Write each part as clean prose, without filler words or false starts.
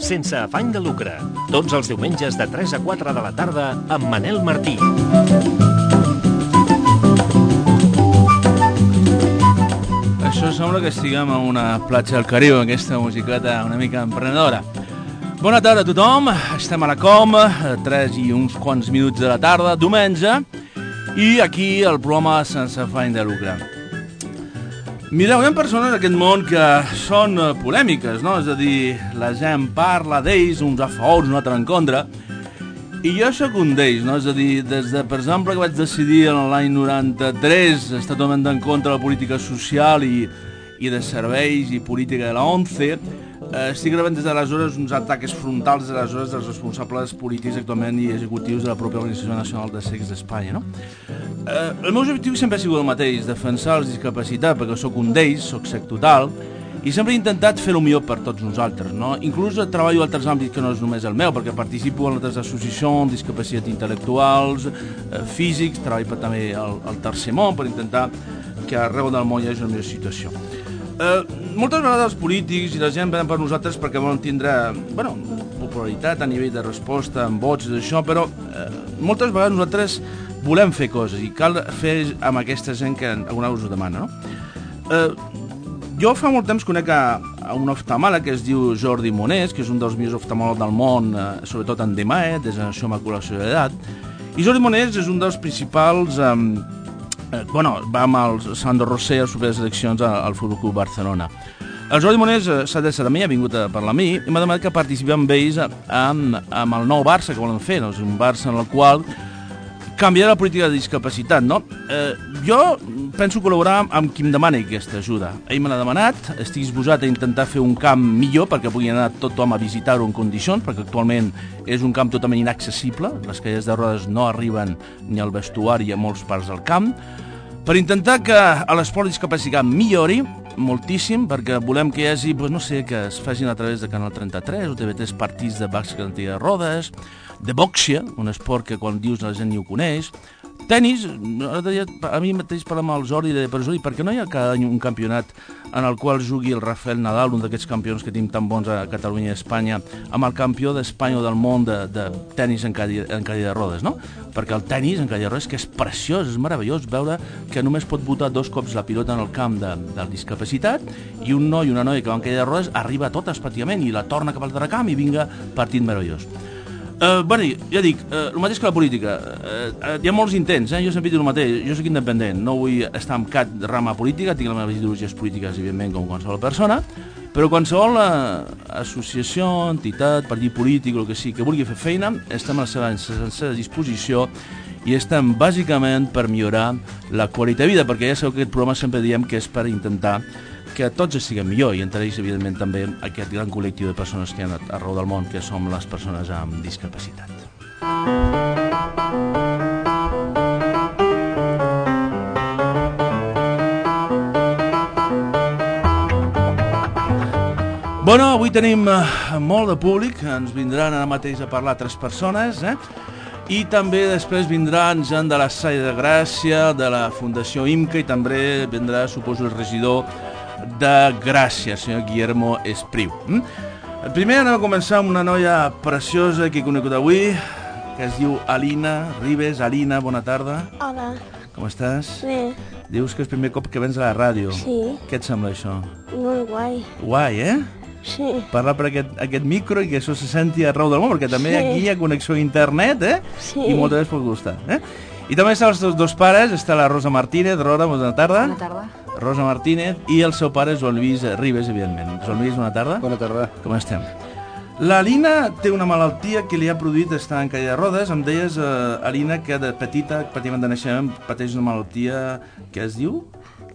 Sense afany de lucre. Tots els diumenges de 3 a 4 de la tarda amb Manel Martí. Això sembla que estiguem a una platja del Caribe, aquesta musiqueta una mica emprenedora. Bona tarda a tothom, estem a la Com, 3 i uns quants minuts de la tarda, diumenge, i aquí el programa Sense afany de lucre. Mireu, hi ha persones en aquest món que són polèmiques, no? És a dir, la gent parla d'ells, uns a favor, uns altres en contra, i jo sóc un d'ells, no? És a dir, des de, per exemple, que vaig decidir l'any 93 estar totalment en contra de la política social i de serveis i política de la ONCE, estic rebent des d'aleshores uns atacs frontals des d'aleshores dels responsables polítics actualment i executius de la pròpia Organització Nacional de Cecs d'Espanya, no? El meu objectiu sempre ha sigut el mateix, defensar els discapacitats, perquè sóc un d'ells, sóc cec total, i sempre he intentat fer el millor per tots nosaltres, no? Inclús treballo en altres àmbits que no és només el meu, perquè participo en altres associacions, discapacitats intel·lectuals, físics, treballo també al tercer món per intentar que arreu del món hi hagi una millor situació. Moltes vegades els polítics i la gent venen per nosaltres perquè volen tindre popularitat a nivell de resposta amb vots i d'això, però moltes vegades nosaltres volem fer coses i cal fer amb aquesta gent que alguna cosa us demana, no? Jo fa molt temps conec a un oftalmòleg que es diu Jordi Monés, que és un dels millors oftalmòlegs del món, sobretot en DMAE, degeneració macular de l'edat, i Jordi Monés és un dels principals va amb el Sandro Rosell a les properes eleccions al Futbol Club Barcelona. El Jordi Monés s'ha de ser a mi, ha vingut a parlar a mi i m'ha demanat que participi amb ells amb el nou Barça que volen fer, no? És un Barça en el qual canviarà la política de discapacitat, no? Jo penso col·laborar amb qui em demani aquesta ajuda. Ell me l'ha demanat, estic disposat a intentar fer un camp millor perquè pugui anar tothom a visitar-ho en condicions, perquè actualment és un camp totalment inaccessible, les cadires de rodes no arriben ni al vestuari a molts parts del camp, per intentar que l'esport de discapacitat millori moltíssim, perquè volem que hi hagi, no sé, que es facin a través de Canal 33 o TV3 partits de bàsquet de rodes, de boxia, un esport que quan dius la gent ni ho coneix, tenis, a mi mateix parlant amb el Jordi, per què no hi ha cada any un campionat en el qual jugui el Rafael Nadal, un d'aquests campions que tenim tan bons a Catalunya i a Espanya, amb el campió d'Espanya o del món de tenis en cadira de rodes, no? Perquè el tenis en cadira de rodes que és preciós, és meravellós veure que només pot botar 2 cops la pilota en el camp de discapacitat i un noi i una noia que va en cadira de rodes arriba a totes pràcticament i la torna cap al altre camp i vinga partit meravellós. Ja dic, el mateix que la política, hi ha molts intents, jo sempre dic el mateix, jo soc independent, no vull estar en cap rama política, tinc les meves ideologies polítiques, evidentment, com qualsevol persona, però qualsevol associació, entitat, partit polític, el que sigui, que vulgui fer feina, estem a la seva disposició i estem bàsicament per millorar la qualitat de vida, perquè ja sabeu que aquest programa sempre diem que és per intentar que tots estiguem millor i entre ells, evidentment, també aquest gran col·lectiu de persones que hi ha arreu del món, que som les persones amb discapacitat. Bueno, avui tenim molt de públic, ens vindran ara mateix a parlar 3 persones, i també després vindran gent de la Salle de Gràcia, de la Fundació IMCA i també vindrà, suposo, el regidor de Gràcia, el senyor Guillermo Espriu. Primer anem a començar amb una noia preciosa que he conegut avui, que es diu Alina Ribes. Alina, bona tarda. Hola. Com estàs? Bé. Dius que és el primer cop que vens a la ràdio. Sí. Què et sembla això? Molt guai. Guai, eh? Sí. Parlar per aquest micro i que això se senti arreu del món, perquè també aquí hi ha connexió a internet, Sí. I moltes vegades pot gustar, I també estan els dos pares, està la Rosa Martínez. Rosa, bona tarda. Bona tarda. Rosa Martínez i el seu pare, Joan Lluís Ribes, evidentment. Joan Lluís, bona tarda. Bona tarda. Com estem? L'Alina té una malaltia que li ha produït estar en cadira de rodes. Em deies, Alina, que de petita, pràcticament de naixement, pateix una malaltia que es diu?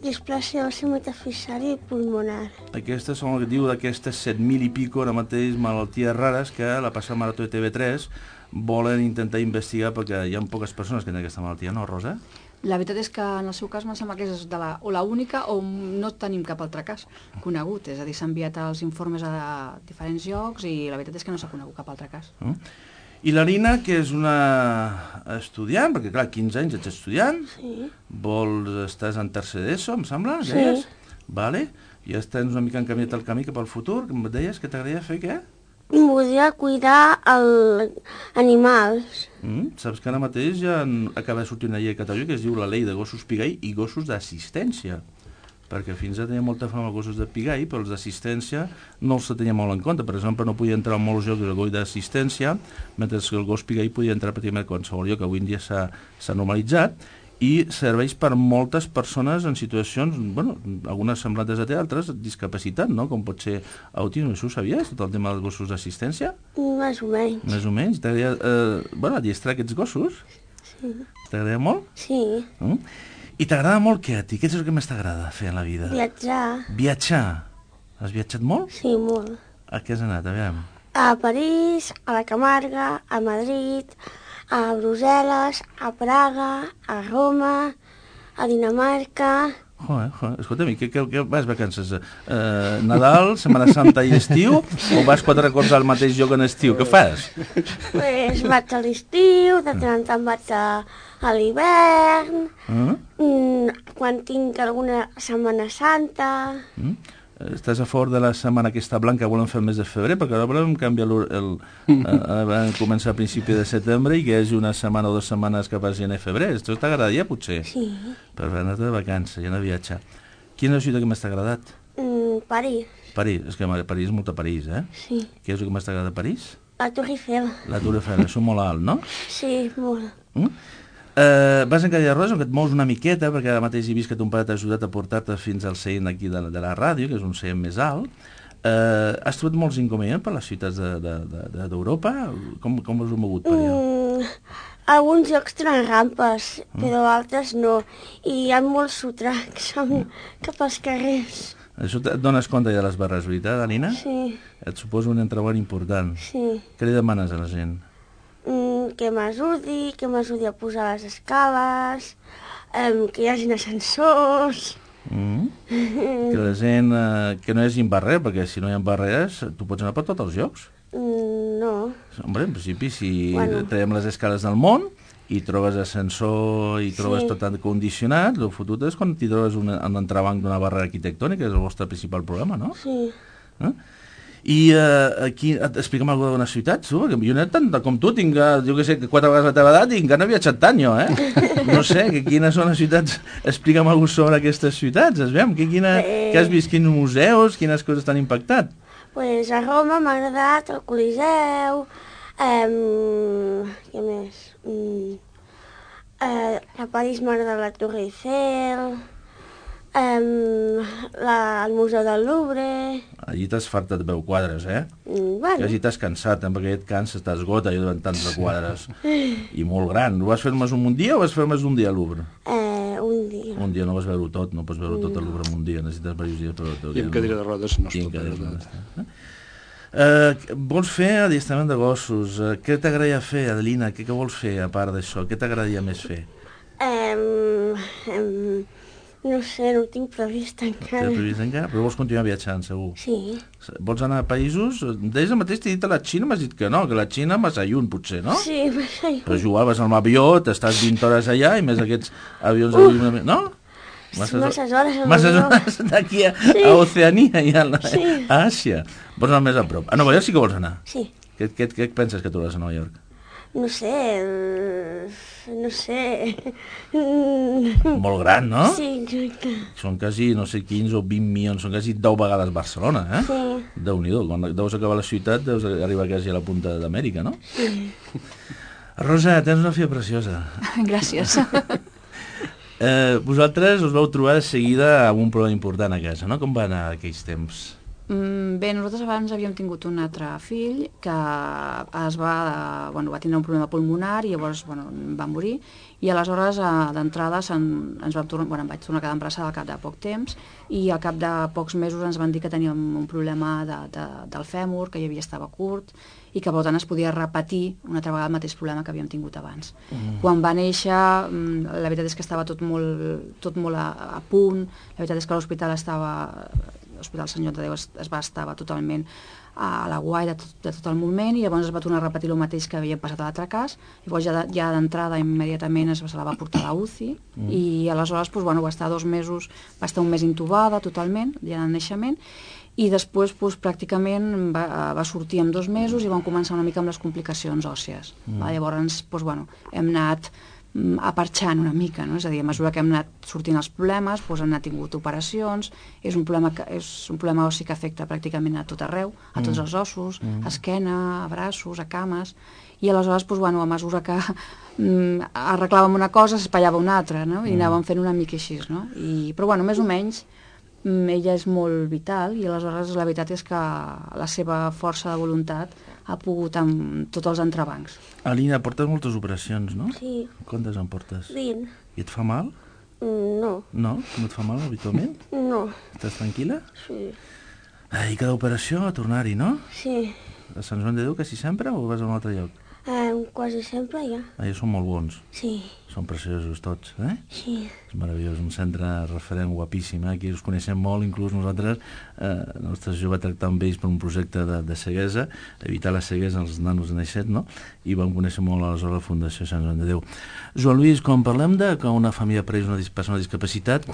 Displàsia òssia metafisària i pulmonar. Aquestes són el que diu d'aquestes 7.000 i pico ara mateix malalties rares que la passada marató de TV3 volen intentar investigar perquè hi ha poques persones que tenen aquesta malaltia, no, Rosa? La veritat és que en el seu cas em sembla que és la única o no tenim cap altre cas conegut. És a dir, s'han enviat els informes a diferents llocs i la veritat és que no s'ha conegut cap altre cas. I la Nina, que és una estudiant, perquè clar, 15 anys ets estudiant, estàs en tercer d'ESO, em sembla? Sí. Deies? Vale. I ja tens una mica encaminat el camí cap al futur, que em deies que t'agradaria fer què? Voldria cuidar animals. Saps que ara mateix ja acaba de sortir una llei a Catalunya que es diu la llei de gossos pigai i gossos d'assistència, perquè fins ara tenia molta fama els gossos de pigai, però els d'assistència no els tenia molt en compte. Per exemple, no podia entrar en molts llocs el gos d'assistència, mentre que el gos pigai podia entrar pràcticament a qualsevol lloc, que avui en dia s'ha normalitzat, i serveix per moltes persones en situacions, bueno, algunes semblantes a altres, discapacitat, no? Com pot ser autisme. Això ho sabies, tot el tema dels gossos d'assistència? Més o menys. Més o menys. T'agradaria adiestrar aquests gossos? Sí. T'agrada molt? Sí. I t'agrada molt què a ti? Què és el que més t'agrada fer en la vida? Viatjar. Viatjar? Has viatjat molt? Sí, molt. A què has anat? Aviam. A París, a la Camarga, a Madrid, a Brussel·les, a Praga, a Roma, a Dinamarca... Escolta'm, què vas vacances? Nadal, Setmana Santa i estiu? O vas 4 cops al mateix lloc en estiu? Què fas? Pues vaig a l'estiu, de tant en tant vaig a l'hivern, quan tinc alguna Setmana Santa... Estàs a favor de la setmana aquesta blanca que volem fer el mes de febrer? Perquè ara volem canviar vam començar a principi de setembre i que hi hagi una setmana o 2 setmanes que passi en febrer. Això t'agradaria, potser? Sí. Per anar de vacances i anar a viatjar. Quina és la ciutat que més t'ha agradat? París. París, és que París és molta París, eh? Sí. Què és el que més t'agrada de París? La Tour Eiffel. La Tour Eiffel, això molt alt, no? Sí, molt. Vas en cadira de rodes, que et mous una miqueta, perquè ara mateix he vist que ton pare t'ha ajudat a portar-te fins al seient aquí de la ràdio, que és un seient més alt. Has trobat molts inconvenients per les ciutats d'Europa? Com us heu mogut per allà? Alguns llocs tenen rampes, però altres no. I hi ha molts sotracs cap als carrers. Això et dones compte ja de les barres, veritat, Alina? Sí. Et suposa un entrebant important. Sí. Què li demanes a la gent? Que m'ajudi a posar les escales, que hi hagi ascensors... Que la gent... que no hi hagi barreres, perquè si no hi ha barreres, tu pots anar per tots els llocs? No. Hombre, en principi, si traiem les escales del món i trobes ascensor i trobes tot condicionat, el fotut és quan t'hi trobes un entrebanc d'una barrera arquitectònica, és el vostre principal problema, no? Sí. I aquí, explica'm alguna d'una ciutat, tu, perquè jo no he tant com tu, tinc, jo que sé, 4 vegades la teva edat i encara no he viatjat tant jo, No sé, quines són les ciutats, explica'm alguna sobre aquestes ciutats, veiem, què has vist, quins museus, quines coses t'han impactat? Pues a Roma m'ha agradat el Coliseu, què més? A París m'ha agradat la Tour Eiffel, el Museu del Louvre... Allí t'has fartat de 10 quadres, Bueno. Que allí t'has cansat, perquè et canses, t'esgota allò davant tants de quadres. I molt gran. Ho vas fer més un dia o vas fer més d'un dia al Louvre? Un dia. Un dia no vas veure-ho tot, no pots veure tot al Louvre en un dia, necessites diversos dies per veure-ho. I amb cadira de rodes no es pot veure tot. Vols fer adiestrament de gossos? Què t'agradaria fer, Adelina? Què vols fer a part d'això? Què t'agradaria més fer? No sé, no ho tinc previst encara. Tens previst encara? Però vols continuar viatjant, segur? Sí. Vols anar a països? Deies el mateix, t'he dit a la Xina, m'has dit que no, que la Xina massa lluny, potser, no? Sí, massa lluny. Però jugaves amb l'avió, t'estàs 20 hores allà, i més aquests avions... No? Masses hores amb Masses l'avió. hores d'aquí a Oceania i a Àsia. Vols anar més a prop. A Nova York sí que vols anar? Sí. Què penses que trobaràs a Nova York? No sé, Molt gran, no? Sí, exacte. Són quasi, no sé, 15 o 20 milions, són quasi 10 vegades Barcelona, Sí. Déu-n'hi-do, quan deus acabar la ciutat deus arribar quasi a la punta d'Amèrica, no? Sí. Rosa, tens una filla preciosa. Gràcies. Vosaltres us vau trobar de seguida amb un problema important a casa, no? Com va anar aquells temps? Bé, nosaltres abans havíem tingut un altre fill que va tindre un problema pulmonar i llavors va morir, i aleshores d'entrada em vaig tornar a quedar embarassada al cap de poc temps, i al cap de pocs mesos ens van dir que teníem un problema del fèmur, que estava curt, i que per tant es podia repetir una altra vegada el mateix problema que havíem tingut abans. Quan va néixer, la veritat és que estava tot molt a punt, la veritat és que l'hospital Senyor de Déu estava totalment a la guai de tot el moment, i llavors es va tornar a repetir el mateix que havia passat a l'altre cas. Llavors ja d'entrada immediatament se la va portar a la UCI, i aleshores va estar 2 mesos, va estar un mes intubada totalment, ja en el naixement, i després pràcticament va sortir en 2 mesos i van començar una mica amb les complicacions òssies. Llavors hem anat aparxant una mica, no? És a dir, a mesura que hem anat sortint els problemes, hem anat tingut operacions, és un problema ossi que afecta pràcticament a tot arreu, a tots els ossos, a esquena, a braços, a cames, i aleshores, a mesura que arreglàvem una cosa, s'espallava una altra, no? I anàvem fent una mica així, no? Però, més o menys, ella és molt vital, i aleshores la veritat és que la seva força de voluntat ha pogut amb tots els entrebancs. Alina, portes moltes operacions, no? Sí. Quantes en portes? 20. I et fa mal? No. No? No et fa mal habitualment? No. Estàs tranquil·la? Sí. I cada operació a tornar-hi, no? Sí. A Sant Joan de Déu quasi sempre o vas a un altre lloc? Quasi sempre ja. Ja són molt bons. Sí. Són preciosos tots, eh? Sí. És meravellós, un centre referent guapíssim, eh? Aquí us coneixem molt, inclús nosaltres, el nostre jove va tractar amb ells per un projecte de ceguesa, evitar la ceguesa als nanos de naixet, no? I vam conèixer molt aleshores la Fundació Sant Joan de Déu. Joan Lluís, quan parlem de que una família apareix una persona amb discapacitat,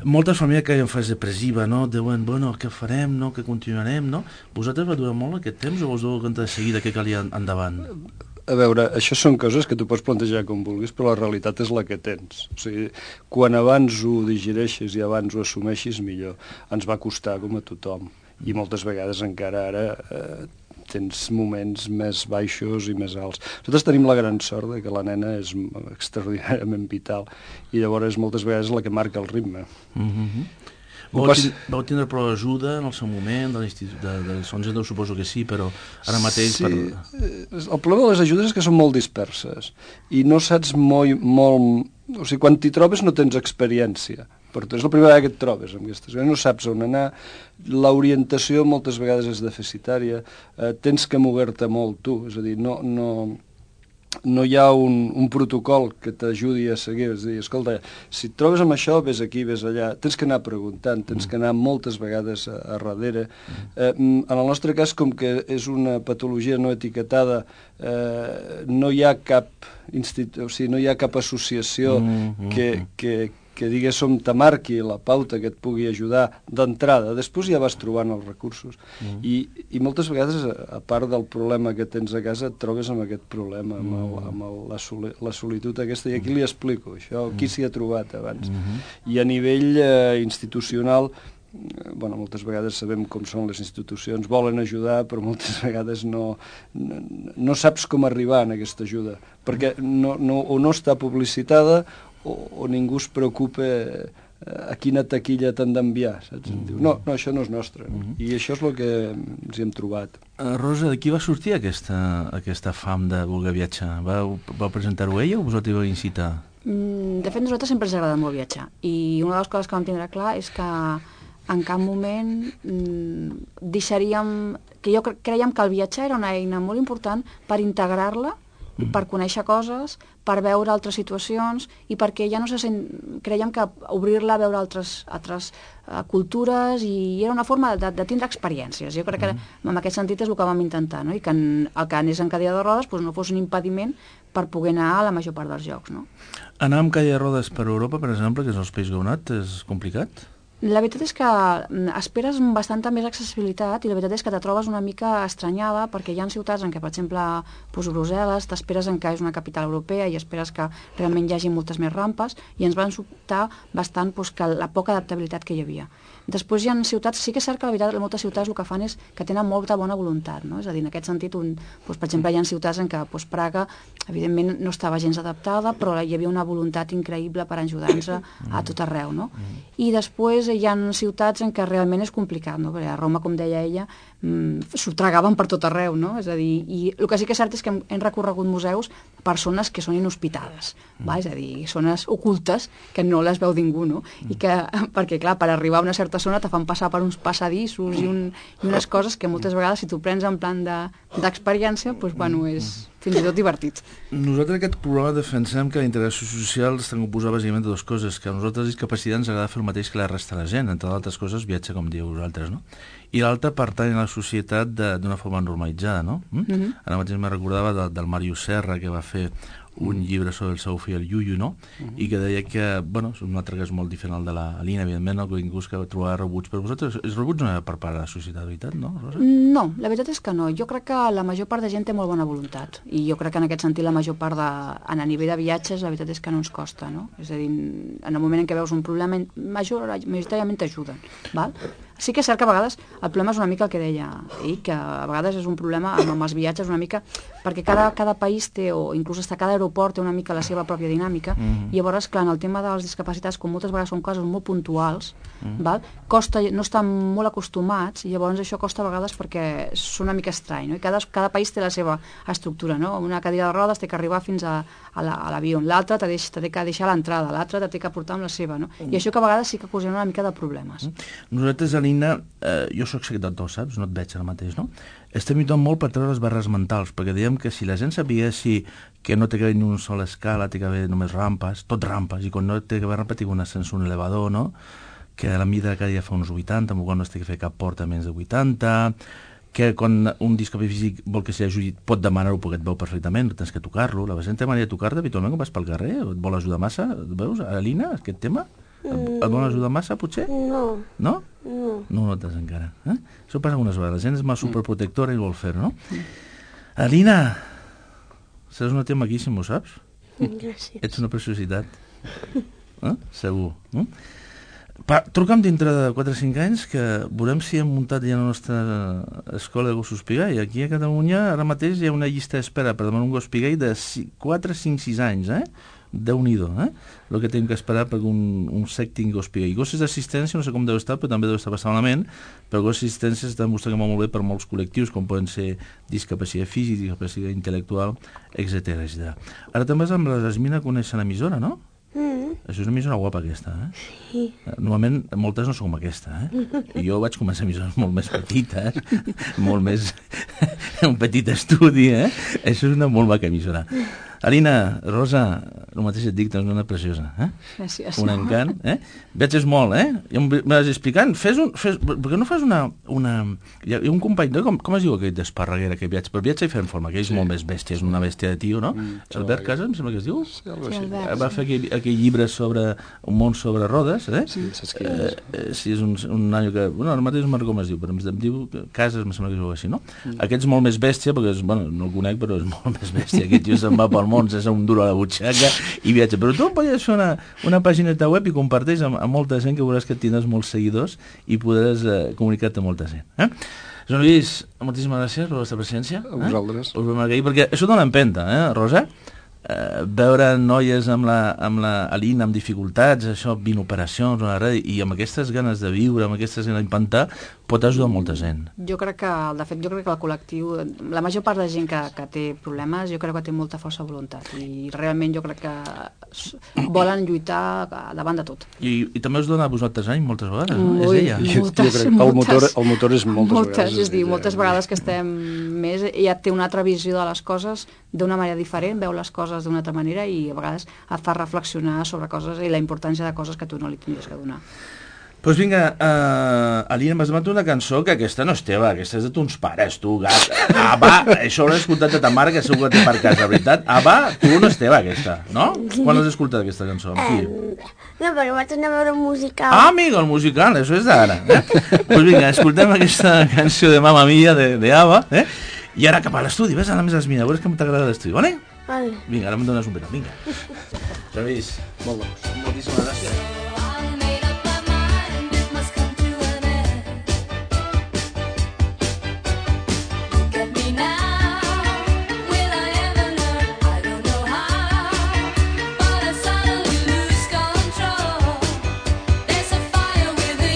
moltes famílies que en fase depressiva, no? Diuen, què farem, no? Què continuarem, no? Vosaltres va durar molt aquest temps o vos deu compte de seguida què calia endavant? A veure, això són coses que tu pots plantejar com vulguis, però la realitat és la que tens. O sigui, quan abans ho digereixes i abans ho assumeixis, millor. Ens va costar com a tothom. I moltes vegades encara ara tens moments més baixos i més alts. Nosaltres tenim la gran sort de que la nena és extraordinàriament vital i llavors moltes vegades és la que marca el ritme. Vau tindre prou ajuda en el seu moment, de l'Institut de Sant Joan, suposo que sí, però ara mateix... Sí, el problema de les ajudes és que són molt disperses i no saps molt... O sigui, quan t'hi trobes no tens experiència, però és la primera vegada que et trobes amb aquestes coses, no saps on anar, l'orientació moltes vegades és deficitària, tens que mover-te molt tu, és a dir, no hi ha un protocol que t'ajudi a seguir, és a dir, escolta, si et trobes amb això, ves aquí, ves allà, tens que anar preguntant, tens que anar moltes vegades a darrere. En el nostre cas, com que és una patologia no etiquetada, no hi ha cap no hi ha cap associació que diguéssim te marqui la pauta que et pugui ajudar d'entrada, després ja vas trobant els recursos i moltes vegades, a part del problema que tens a casa, et trobes amb aquest problema, amb la solitud aquesta, i aquí li explico això, qui s'hi ha trobat abans. I a nivell institucional, moltes vegades sabem com són les institucions, volen ajudar, però moltes vegades no saps com arribar a aquesta ajuda, perquè o no està publicitada o ningú es preocupa a quina taquilla t'han d'enviar, saps? Diu, no, això no és nostre. I això és el que ens hi hem trobat. Rosa, de qui va sortir aquesta fam de voler viatjar? Va presentar-ho ella o vosaltres vau incitar? De fet, nosaltres sempre ens ha agradat molt viatjar. I una de les coses que vam tindre clar és que en cap moment deixaríem... que jo creiem que el viatjar era una eina molt important per integrar-la, per conèixer coses, per veure altres situacions i perquè ja no se sent... Creiem que obrir-la a veure altres cultures i era una forma de tindre experiències. Jo crec que en aquest sentit és el que vam intentar, no? I que el que anés en cadira de rodes no fos un impediment per poder anar a la major part dels llocs, no? Anar amb cadira de rodes per Europa, per exemple, que és els països que heu anat, és complicat? La veritat és que esperes bastanta més accessibilitat i la veritat és que te trobes una mica estranyada perquè hi ha ciutats en què, per exemple, Brussel·les, t'esperes en que és una capital europea i esperes que realment hi hagi moltes més rampes i ens van sobtar bastant que la poca adaptabilitat que hi havia. Després hi ha ciutats, sí que és cert que la veritat moltes ciutats el que fan és que tenen molta bona voluntat, no? És a dir, en aquest sentit, per exemple, hi ha ciutats en què Praga, evidentment, no estava gens adaptada, però hi havia una voluntat increïble per ajudar-nos a tot arreu, no? I després hi ha ciutats en què realment és complicat, no? Perquè a Roma, com deia ella, s'ho tragaven per tot arreu, no? És a dir, i el que sí que és cert és que hem recorregut museus per zones que són inhospitades, va? És a dir, zones ocultes que no les veu ningú, no? I que, perquè clar, per arribar a una certa zona te fan passar per uns passadissos i unes coses que moltes vegades, si tu prens en plan d'experiència, doncs, bueno, és fins i tot divertit. Nosaltres aquest programa defensem que la integració social està composada bàsicament de dues coses, que a nosaltres discapacitats ens agrada fer el mateix que la resta de la gent, entre altres coses viatjar com dieu vosaltres, no? I l'altra pertany a la societat d'una forma normalitzada, no? Ara mateix me recordava del Màrius Serra, que va fer un llibre sobre el seu fill, el Yuyu, no? I que deia que, bueno, és un altre cas molt diferent al de la Alina, evidentment, no? Que ningú que trobar rebuig, però vosaltres, els rebuig no hi ha per part de la societat, veritat, no, Rosa? No, la veritat és que no. Jo crec que la major part de gent té molt bona voluntat, i jo crec que en aquest sentit la major part a nivell de viatges, la veritat és que no ens costa, no? És a dir, en el moment en què veus un problema, majoritàriament t'ajuden, val? Sí que és cert que a vegades el problema és una mica el que deia ell, que a vegades és un problema amb els viatges una mica, perquè cada país té, o inclús hasta cada aeroport té una mica la seva pròpia dinàmica, i llavors, clar, en el tema de les discapacitats, com moltes vegades són coses molt puntuals, val? Costa, no estan molt acostumats, i llavors això costa a vegades perquè és una mica estrany, no? I cada país té la seva estructura, no? Una cadira de rodes té que arribar fins a l'avió, l'altra t'ha de que deixar a l'entrada, l'altra t'ha de portar amb la seva, no? I això que a vegades sí que ocasiona una mica de problemes. Nosaltres, Alina, jo soc secretari, saps? No et veig ara mateix, no? Estem lluitant molt per treure les barres mentals, perquè diem que si la gent sapiguessi que no té que haver ni una sola escala, té que haver només rampes, tot rampes, i quan no té que haver rampa té un ascensor, un elevador, no? Que a la mida cada dia fa uns 80, quan no es té que fer cap porta menys de 80, que quan un discapacitat físic vol que s'ajudi pot demanar-ho perquè et veu perfectament, no tens que tocar-lo. La gent té manera de tocar-te habitualment quan vas pel carrer, et vol ajudar massa, veus, Alina, aquest tema? Et vol ajudar massa, potser? No. No? No ho notes encara. Això passa algunes vegades. La gent és més superprotectora i vol fer-ho, no? Alina, seràs una tia maquíssim, ho saps? Gràcies. Ets una preciositat. Segur. Truca'm dintre de 4 o 5 anys que veurem si hem muntat ja la nostra escola de gossos pigall. Aquí a Catalunya ara mateix hi ha una llista d'espera per demanar un gos pigall de 4, 5, 6 anys, Déu-n'hi-do, el que tenim que esperar per un sec tingui gos pigall. Gossos d'assistència no sé com deu estar, però també deu estar bastant malament, però gossos d'assistència s'està demostrant que molt bé per molts col·lectius, com poden ser discapacitat física, discapacitat intel·lectual, etc. Ara també amb la Jasmina coneixen l'emissora, no? Això és una emissora guapa, aquesta, Sí. Normalment, moltes no són com aquesta, I jo vaig començar emissores molt més petites, molt més... un petit estudi, Això és una molt maca emissora. Alina, Rosa, el mateix et dic, tens una preciosa, Gràcies. Un encant, Viatges molt, Ja em vas explicant, per què no fas una... Hi ha un company, com es diu aquell d'Esparreguera, que viatja? Però viatja i fer en forma, que és molt més bèstia, és una bèstia de tio, no? Albert Casas, em sembla que es diu? Sí, Albert. Va fer aquell llibre sobre un món sobre rodes, Sí, saps què és? Sí, és un nanyo que... Bueno, ara mateix no me'n recordo com es diu, però em diu Casas, em sembla que es diu així, no? Aquest és molt més bèstia, perquè no el conec, però és molt més bèstia. Aquest tio se'n va pel món, és un duro a la butxaca i viatja. Però tu podries fer una pàgina web i comparteix amb molta gent, que veuràs que tindràs molts seguidors i podràs comunicar-te amb molta gent. Joan Lluís, moltíssimes gràcies per la vostra presència. A vosaltres. Us vam agrair, perquè això dona empenta, Rosa? Veure noies amb la Alina amb dificultats, això, 20 operacions, i amb aquestes ganes de viure, amb aquestes ganes d'impantar, pot ajudar molta gent. Jo crec que el col·lectiu, la major part de gent que té problemes, jo crec que té molta força de voluntat, i realment jo crec que volen lluitar davant de tot. I també us dona a vosaltres any, moltes vegades, no? És ella. Jo crec que el motor és moltes vegades. És dir, moltes vegades que estem més, ja té una altra visió de les coses d'una manera diferent, veu les coses d'una altra manera i a vegades et fa reflexionar sobre coses i la importància de coses que tu no li tindries que donar. Doncs vinga, Alina, m'has demanat una cançó que aquesta no és teva, aquesta és de tons pares, tu, gat. Va, això ho l'he escoltat de ta mare, que segur que té per casa, veritat. Va, tu no és teva, aquesta, no? Quan l'has escoltat, aquesta cançó? Amb qui? No, perquè vaig anar a veure un musical. Amigo, el musical, això és d'ara. Doncs vinga, escoltem aquesta cançó de Mamma Mia, de Ava, i ara cap a l'estudi, ves, ara més Jasmina, veuràs que t'agrada l'estudi, vale? Vale. Vinga, ara em dones un petó, vinga. Travis, moltíssimes gràcies. But I suddenly lose control. There's a fire within.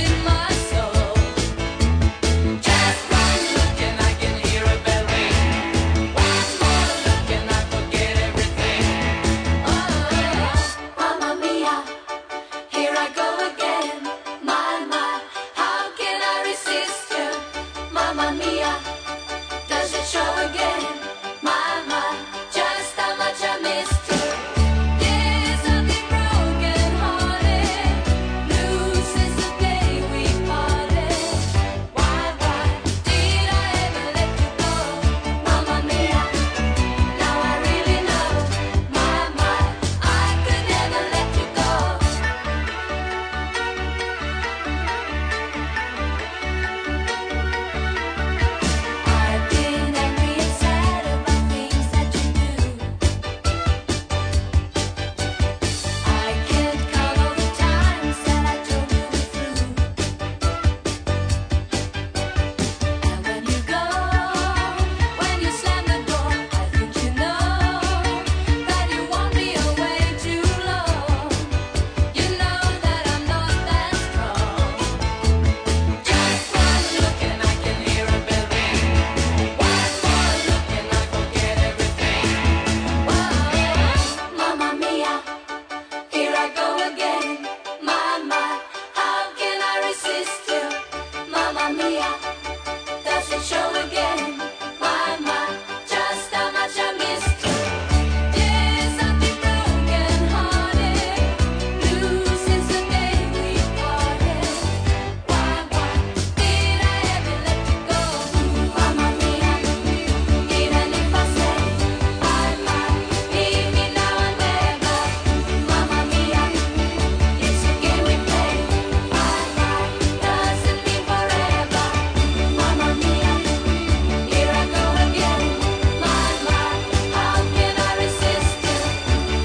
Mamma mia, does it show again? My, just how much I missed you. Yes, I've been broken hearted, blue since the day we parted. Why did I ever let you go? Mamma mia, even if I say I might, leave me now and never. Mamma mia, it's a game we play. Doesn't mean forever. Mamma mia, here I go again. How can I resist you?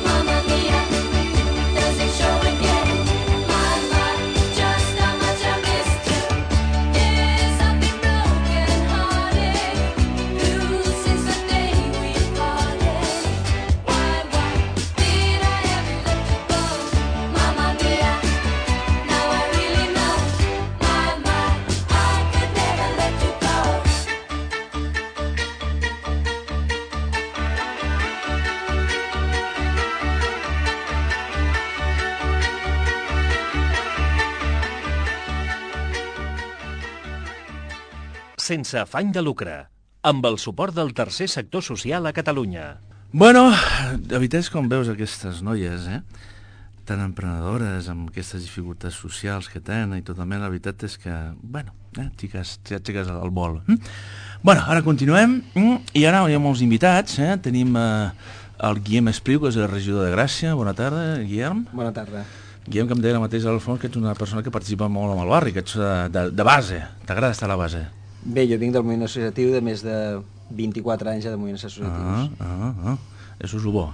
Mamma mia, does it show again? Just how much I missed you. Yes, I've been broken hearted, blue since the day we parted. Why did I ever let you go? Mamma mia, now I really know. I could never let you go. Sense afany de lucre, amb el suport del tercer sector social a Catalunya. Bueno, la veritat és com veus aquestes noies, tan emprenedores, amb aquestes dificultats socials que tenen i totalment, la veritat és que, bueno, xiques al vol. Bueno, ara continuem, i ara hi ha molts invitats, tenim el Guillem Espriu, que és el regidor de Gràcia. Bona tarda, Guillem. Bona tarda. Guillem, que em deia la mateixa al fons, que ets una persona que participa molt amb el barri, que ets de base, t'agrada estar a la base. Bé, jo vinc del moviment associatiu de més de 24 anys ja de moviments associatius. Això és el bo,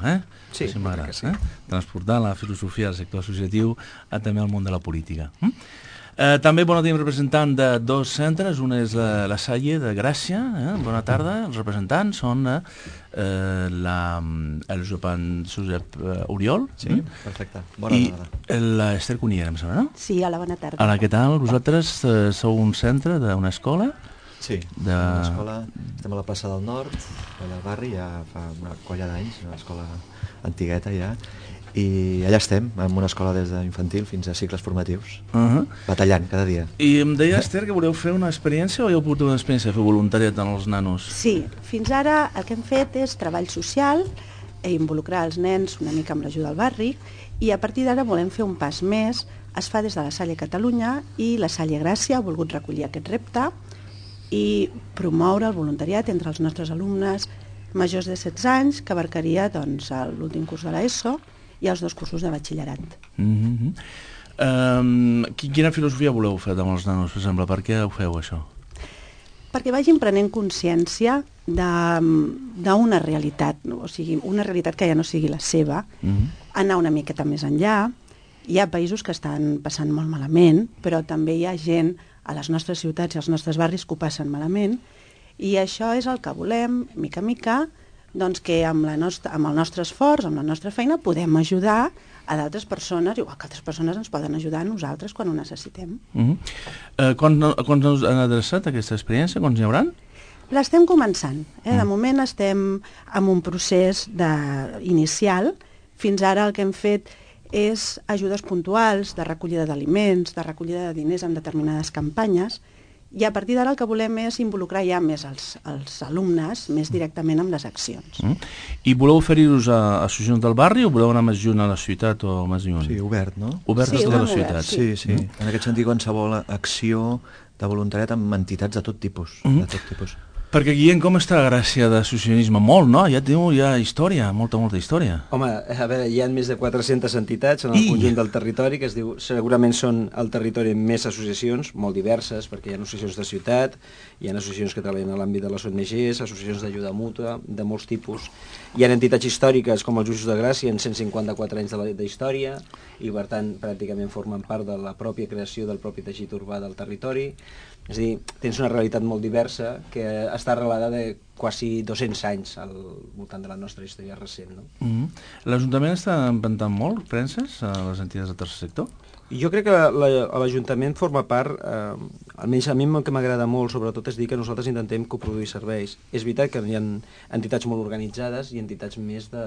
Sí, sí m'agrada, sí. Transportar la filosofia del sector associatiu també al món de la política. També tenim representant de dos centres, una és la Salle de Gràcia. Bona tarda, els representants són el Josep Oriol. Sí, perfecte. Bona tarda. I l'Ester Cuniera, em sembla, no? Sí, hola, bona tarda. Hola, què tal? Vosaltres sou un centre d'una escola? Sí, una escola, estem a la plaça del Nord, al barri, ja fa una colla d'anys, una escola antigueta ja, i allà estem, en una escola des d'infantil fins a cicles formatius, batallant cada dia. I em deia, Esther, que voleu fer una experiència o heu pogut una experiència de fer voluntariat amb els nanos? Sí, fins ara el que hem fet és treball social i involucrar els nens una mica amb l'ajuda del barri, i a partir d'ara volem fer un pas més. Es fa des de la Salle Catalunya i la Salle Gràcia ha volgut recollir aquest repte i promoure el voluntariat entre els nostres alumnes majors de 16 anys, que abarcaria doncs, l'últim curs de l'ESO i els 2 cursos de batxillerat. Quina filosofia voleu fer amb els nanos, per exemple? Per què ho feu, això? Perquè vagin prenent consciència d'una realitat, o sigui, una realitat que ja no sigui la seva, anar una miqueta més enllà. Hi ha països que estan passant molt malament, però també hi ha gent a les nostres ciutats i als nostres barris que ho passen malament, i això és el que volem, mica a mica, doncs que amb el nostre esforç, amb la nostra feina, podem ajudar a d'altres persones, igual que altres persones ens poden ajudar a nosaltres quan ho necessitem. Quants us han adreçat aquesta experiència? Quants n'hi hauran? L'estem començant. De moment estem en un procés inicial. Fins ara el que hem fet és ajudes puntuals de recollida d'aliments, de recollida de diners en determinades campanyes, i a partir d'ara el que volem és involucrar ja més els alumnes més directament amb les accions. I voleu oferir-vos a associacions del barri o voleu anar més junt a la ciutat o més lluny? Sí, obert, no? Obert a tota la ciutat. Sí. En aquest sentit, qualsevol acció de voluntariat amb entitats de tot tipus. Perquè, Guillem, com està la Gràcia d'associacionisme? Molt, no? Ja hi ha història, molta història. Home, a veure, hi ha més de 400 entitats en el conjunt del territori, que es diu, segurament són el territori amb més associacions, molt diverses, perquè hi ha associacions de ciutat, hi ha associacions que treballen a l'àmbit de les ONGs, associacions d'ajuda mútua, de molts tipus. Hi ha entitats històriques com els Justos de Gràcia, en 154 anys d'història, i per tant pràcticament formen part de la pròpia creació del propi teixit urbà del territori. És a dir, tens una realitat molt diversa que està arrelada de quasi 200 anys al voltant de la nostra història recent. L'Ajuntament està inventant molt premses a les entitats del tercer sector? Jo crec que l'Ajuntament forma part, almenys a mi el que m'agrada molt, sobretot, és dir que nosaltres intentem coproduir serveis. És veritat que hi ha entitats molt organitzades i entitats més de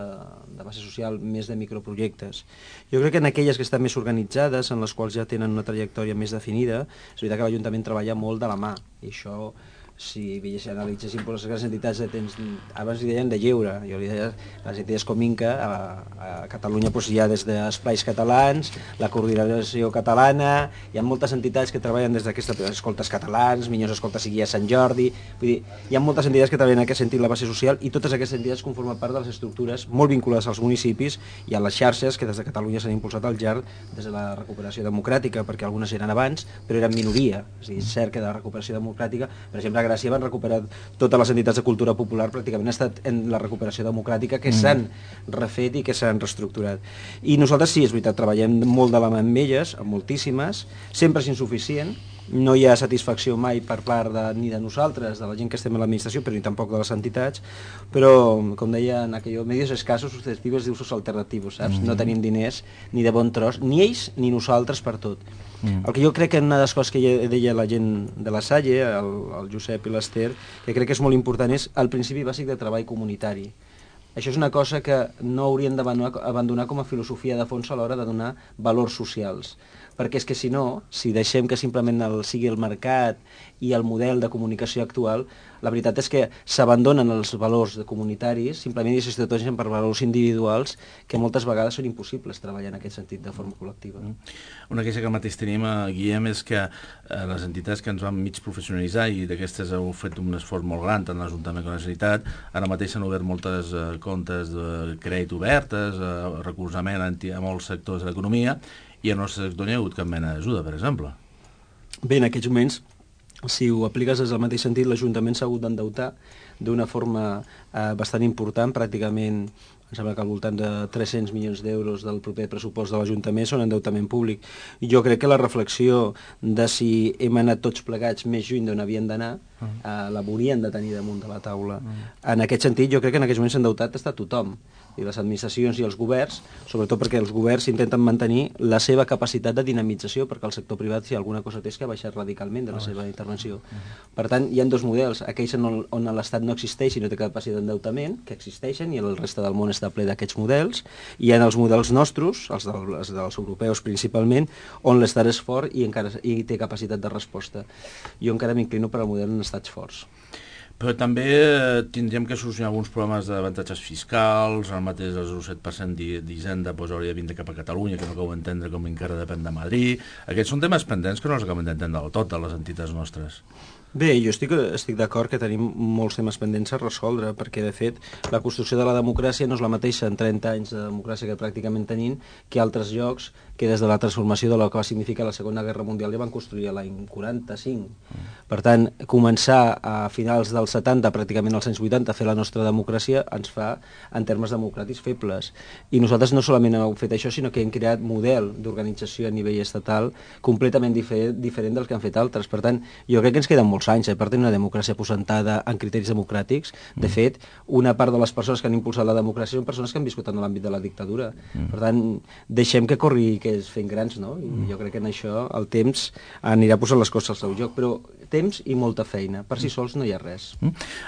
base social, més de microprojectes. Jo crec que en aquelles que estan més organitzades, en les quals ja tenen una trajectòria més definida, és veritat que l'Ajuntament treballa molt de la mà, i això, si analitzéssim les grans entitats de temps, abans li deien de lleure, jo li deia les entitats com Inca, a Catalunya hi ha des d'Esplais Catalans, la Coordinació Catalana, hi ha moltes entitats que treballen des d'aquestes escoltes catalans, Minyons Escoltes i Guia Sant Jordi, vull dir, hi ha moltes entitats que treballen en aquest sentit la base social, i totes aquestes entitats conformen part de les estructures molt vinculades als municipis i a les xarxes que des de Catalunya s'han impulsat al llarg des de la recuperació democràtica, perquè algunes eren abans, però eren minoria, és a dir, és cert que de la recuperació democràtica, per exemple, Gràcia van recuperar totes les entitats de cultura popular, pràcticament ha estat en la recuperació democràtica que s'han refet i que s'han reestructurat. I nosaltres sí, és veritat, treballem molt de la mà amb elles, amb moltíssimes, sempre és insuficient, no hi ha satisfacció mai per part ni de nosaltres, de la gent que estem a l'administració, però ni tampoc de les entitats, però, com deia en aquell medios escassos, susceptibles d'usos alternatius, saps? No tenim diners ni de bon tros, ni ells ni nosaltres per tot. El que jo crec que una de les coses que deia la gent de la Salle, el Josep i l'Ester, que crec que és molt important, és el principi bàsic de treball comunitari. Això és una cosa que no hauríem d'abandonar com a filosofia de fons a l'hora de donar valors socials. Perquè és que si no, si deixem que simplement sigui el mercat i el model de comunicació actual, la veritat és que s'abandonen els valors comunitaris, simplement i s'estrategen per valors individuals que moltes vegades són impossibles treballar en aquest sentit de forma col·lectiva. Una queixa que mateix tenim, Guillem, és que les entitats que ens van mig professionalitzar i d'aquestes heu fet un esforç molt gran, tant l'Ajuntament com la Generalitat, ara mateix s'han obert moltes comptes de crèdit obertes, recolzament a molts sectors de l'economia, i al nostre sector no hi ha hagut cap mena d'ajuda, per exemple. Bé, en aquests moments, si ho apliques des del mateix sentit, l'Ajuntament s'ha hagut d'endeutar d'una forma bastant important, pràcticament, em sembla que al voltant de 300 milions d'euros del proper pressupost de l'Ajuntament són endeutament públic. I jo crec que la reflexió de si hem anat tots plegats més lluny d'on havien d'anar, l'haurien de tenir damunt de la taula. En aquest sentit, jo crec que en aquests moments s'ha endeutat està tothom, i les administracions i els governs, sobretot perquè els governs intenten mantenir la seva capacitat de dinamització, perquè el sector privat, si alguna cosa té, és que ha baixat radicalment de la seva intervenció. Per tant, hi ha dos models, aquells on l'Estat no existeix i no té capacitat d'endeutament, que existeixen, i el reste del món està ple d'aquests models, i hi ha els models nostres, els dels europeus principalment, on l'Estat és fort i té capacitat de resposta. Jo encara m'inclino per al model en estats forts. Però també tindríem que solucionar alguns problemes d'avantatges fiscals, el mateix el 0,7% d'Hisenda hauria de vindre cap a Catalunya, que no acabo d'entendre com encara depèn de Madrid. Aquests són temes pendents que no els acabem d'entendre del tot, de les entitats nostres. Bé, jo estic d'acord que tenim molts temes pendents a resoldre, perquè, de fet, la construcció de la democràcia no és la mateixa en 30 anys de democràcia que pràcticament tenim que altres llocs que des de la transformació de la que va significar la Segona Guerra Mundial ja van construir l'any 45. Per tant, començar a finals dels 70, pràcticament als anys 80, a fer la nostra democràcia ens fa, en termes democràtics, febles. I nosaltres no solament hem fet això, sinó que hem creat model d'organització a nivell estatal completament diferent del que han fet altres. Per tant, jo crec que ens queden molts anys per tenir una democràcia aposentada en criteris democràtics. De fet, una part de les persones que han impulsat la democràcia són persones que han viscut en l'àmbit de la dictadura. Per tant, deixem que corri que es fent grans, no? I jo crec que en això el temps anirà posant les coses al seu lloc, però temps i molta feina. Per si sols no hi ha res.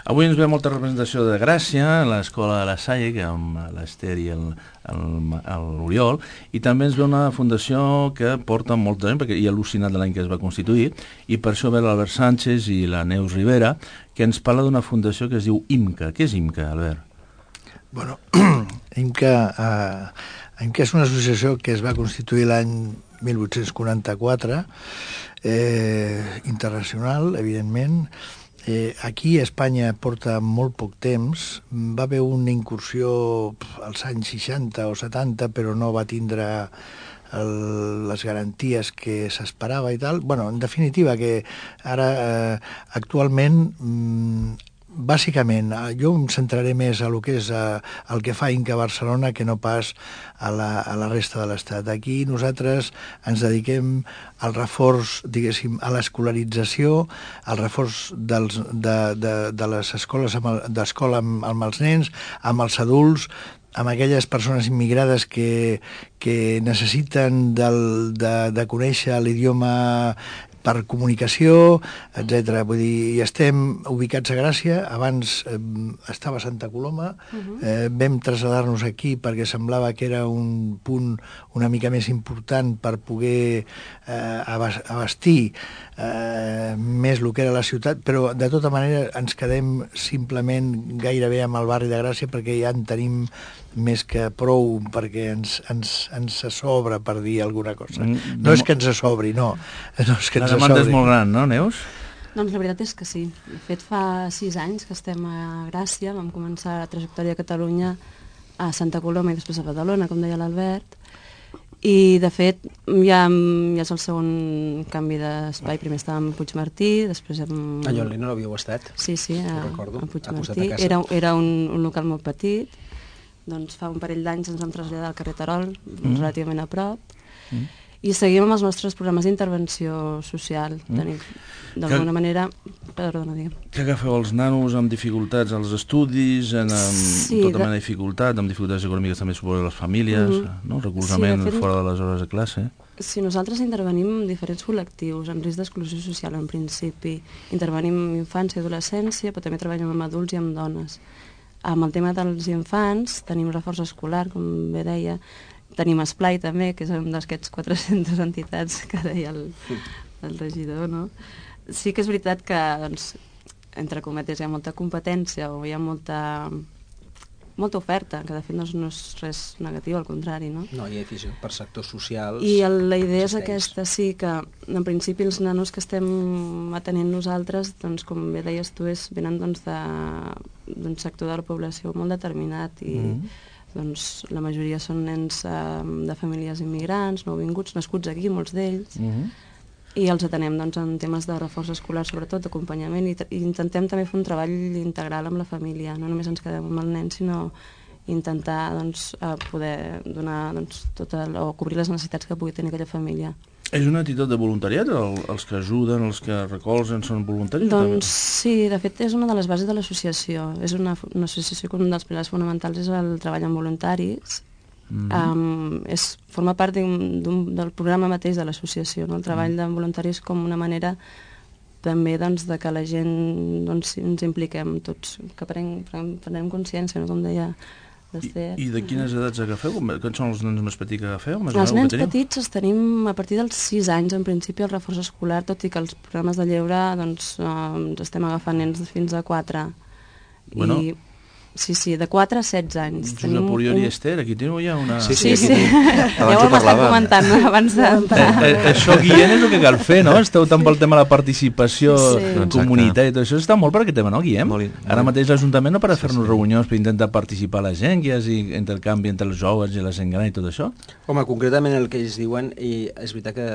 Avui ens ve molta representació de Gràcia, l'escola de la Salle, que amb l'Ester i l'Oriol, i també ens ve una fundació que porta molts anys, perquè hi ha al·lucinat de l'any que es va constituir, i per això ve l'Albert Sánchez i la Neus Rivera, que ens parla d'una fundació que es diu IMCA. Què és IMCA, Albert? Bueno, IMCA és una associació que es va constituir l'any 1844, internacional, evidentment. Aquí a Espanya porta molt poc temps. Va haver una incursió als anys 60 o 70, però no va tindre les garanties que s'esperava i tal. Bueno, en definitiva, que ara actualment bàsicament, jo em centraré més a lo que és el que fa IMCA Barcelona que no pas a la resta de l'Estat. Aquí nosaltres ens dediquem al reforç, diguéssim, a l'escolarització, al reforç de les escoles d'escola amb els nens, amb els adults, amb aquelles persones immigrades que necessiten de conèixer l'idioma per comunicació, etc. Vull dir, hi estem ubicats a Gràcia, abans estava a Santa Coloma, vam traslladar-nos aquí perquè semblava que era un punt una mica més important per poder abastir més el que era la ciutat, però de tota manera ens quedem simplement gairebé amb el barri de Gràcia perquè ja en tenim més que prou perquè ens sobra, per dir alguna cosa. No és que ens sobri, no. No és que La ens demanda és sobri. molt gran, no, Neus? Doncs la veritat és que sí. De fet, fa 6 anys que estem a Gràcia, vam començar la trajectòria a Catalunya a Santa Coloma i després a Badalona, com deia l'Albert, i de fet ja és el segon canvi d'espai. Primer estàvem a Puigmartí, després A Llonli no l'havíeu estat? Sí, a recordo, Puigmartí. a casa. Era un local molt petit, doncs fa un parell d'anys ens vam traslladar al carrer Terol, relativament a prop, i seguim amb els nostres programes d'intervenció social. D'alguna manera... Perdona, digue'm. Que agafeu els nanos amb dificultats als estudis, amb tota mena de dificultat, amb dificultats econòmiques també suposo les famílies, no? Recolzament fora de les hores de classe. Sí, nosaltres intervenim en diferents col·lectius, en risc d'exclusió social en principi. Intervenim en infància i adolescència, però també treballem amb adults i amb dones. Amb el tema dels infants tenim reforç escolar, com bé deia, tenim Esplai també, que és un d'aquests 400 entitats que deia el regidor, no? Sí que és veritat que, doncs, entre cometes, hi ha molta competència o hi ha molta oferta, que de fet no és res negatiu, al contrari, no? No, hi ha afició per sectors socials. I la idea és aquesta, sí, que en principi els nanos que estem atenent nosaltres, doncs, com bé deies tu, venen d'un sector de la població molt determinat i doncs, la majoria són nens de famílies immigrants, nouvinguts, nascuts aquí, molts d'ells, i els atenem doncs, en temes de reforç escolar, sobretot d'acompanyament, i intentem també fer un treball integral amb la família. No només ens quedem amb el nen, sinó intentar doncs, poder donar o cobrir les necessitats que pugui tenir aquella família. És una actitud de voluntariat? Els que ajuden, els que recolzen, són voluntaris? Doncs sí, de fet és una de les bases de l'associació. És una associació que un dels pilars fonamentals és el treball amb voluntaris. Forma part del programa mateix de l'associació, no? El treball de voluntaris com una manera també doncs, de que la gent ens impliquem tots, que prenem consciència, no? Com deia l'Ester. I de quines edats agafeu? Quins són els nens més petits que agafeu? Els nens petits els tenim a partir dels 6 anys, en principi, el reforç escolar, tot i que els programes de lleure doncs, estem agafant nens fins a 4. Bueno. Sí, de 4 a 16 anys. Josep Oriol i Esther, aquí teniu ja una... Sí. Ja ho hem estat comentant abans d'entrar. Això, Guillem, és el que cal fer, no? Esteu tant pel tema de la participació comunitària i tot això. Està molt per aquest tema, no, Guillem? Ara mateix l'Ajuntament no para fer-nos reunions per intentar participar la gent, que hi hagi intercanvi entre els joves i la gent gran i tot això? Home, concretament el que ells diuen, i és veritat que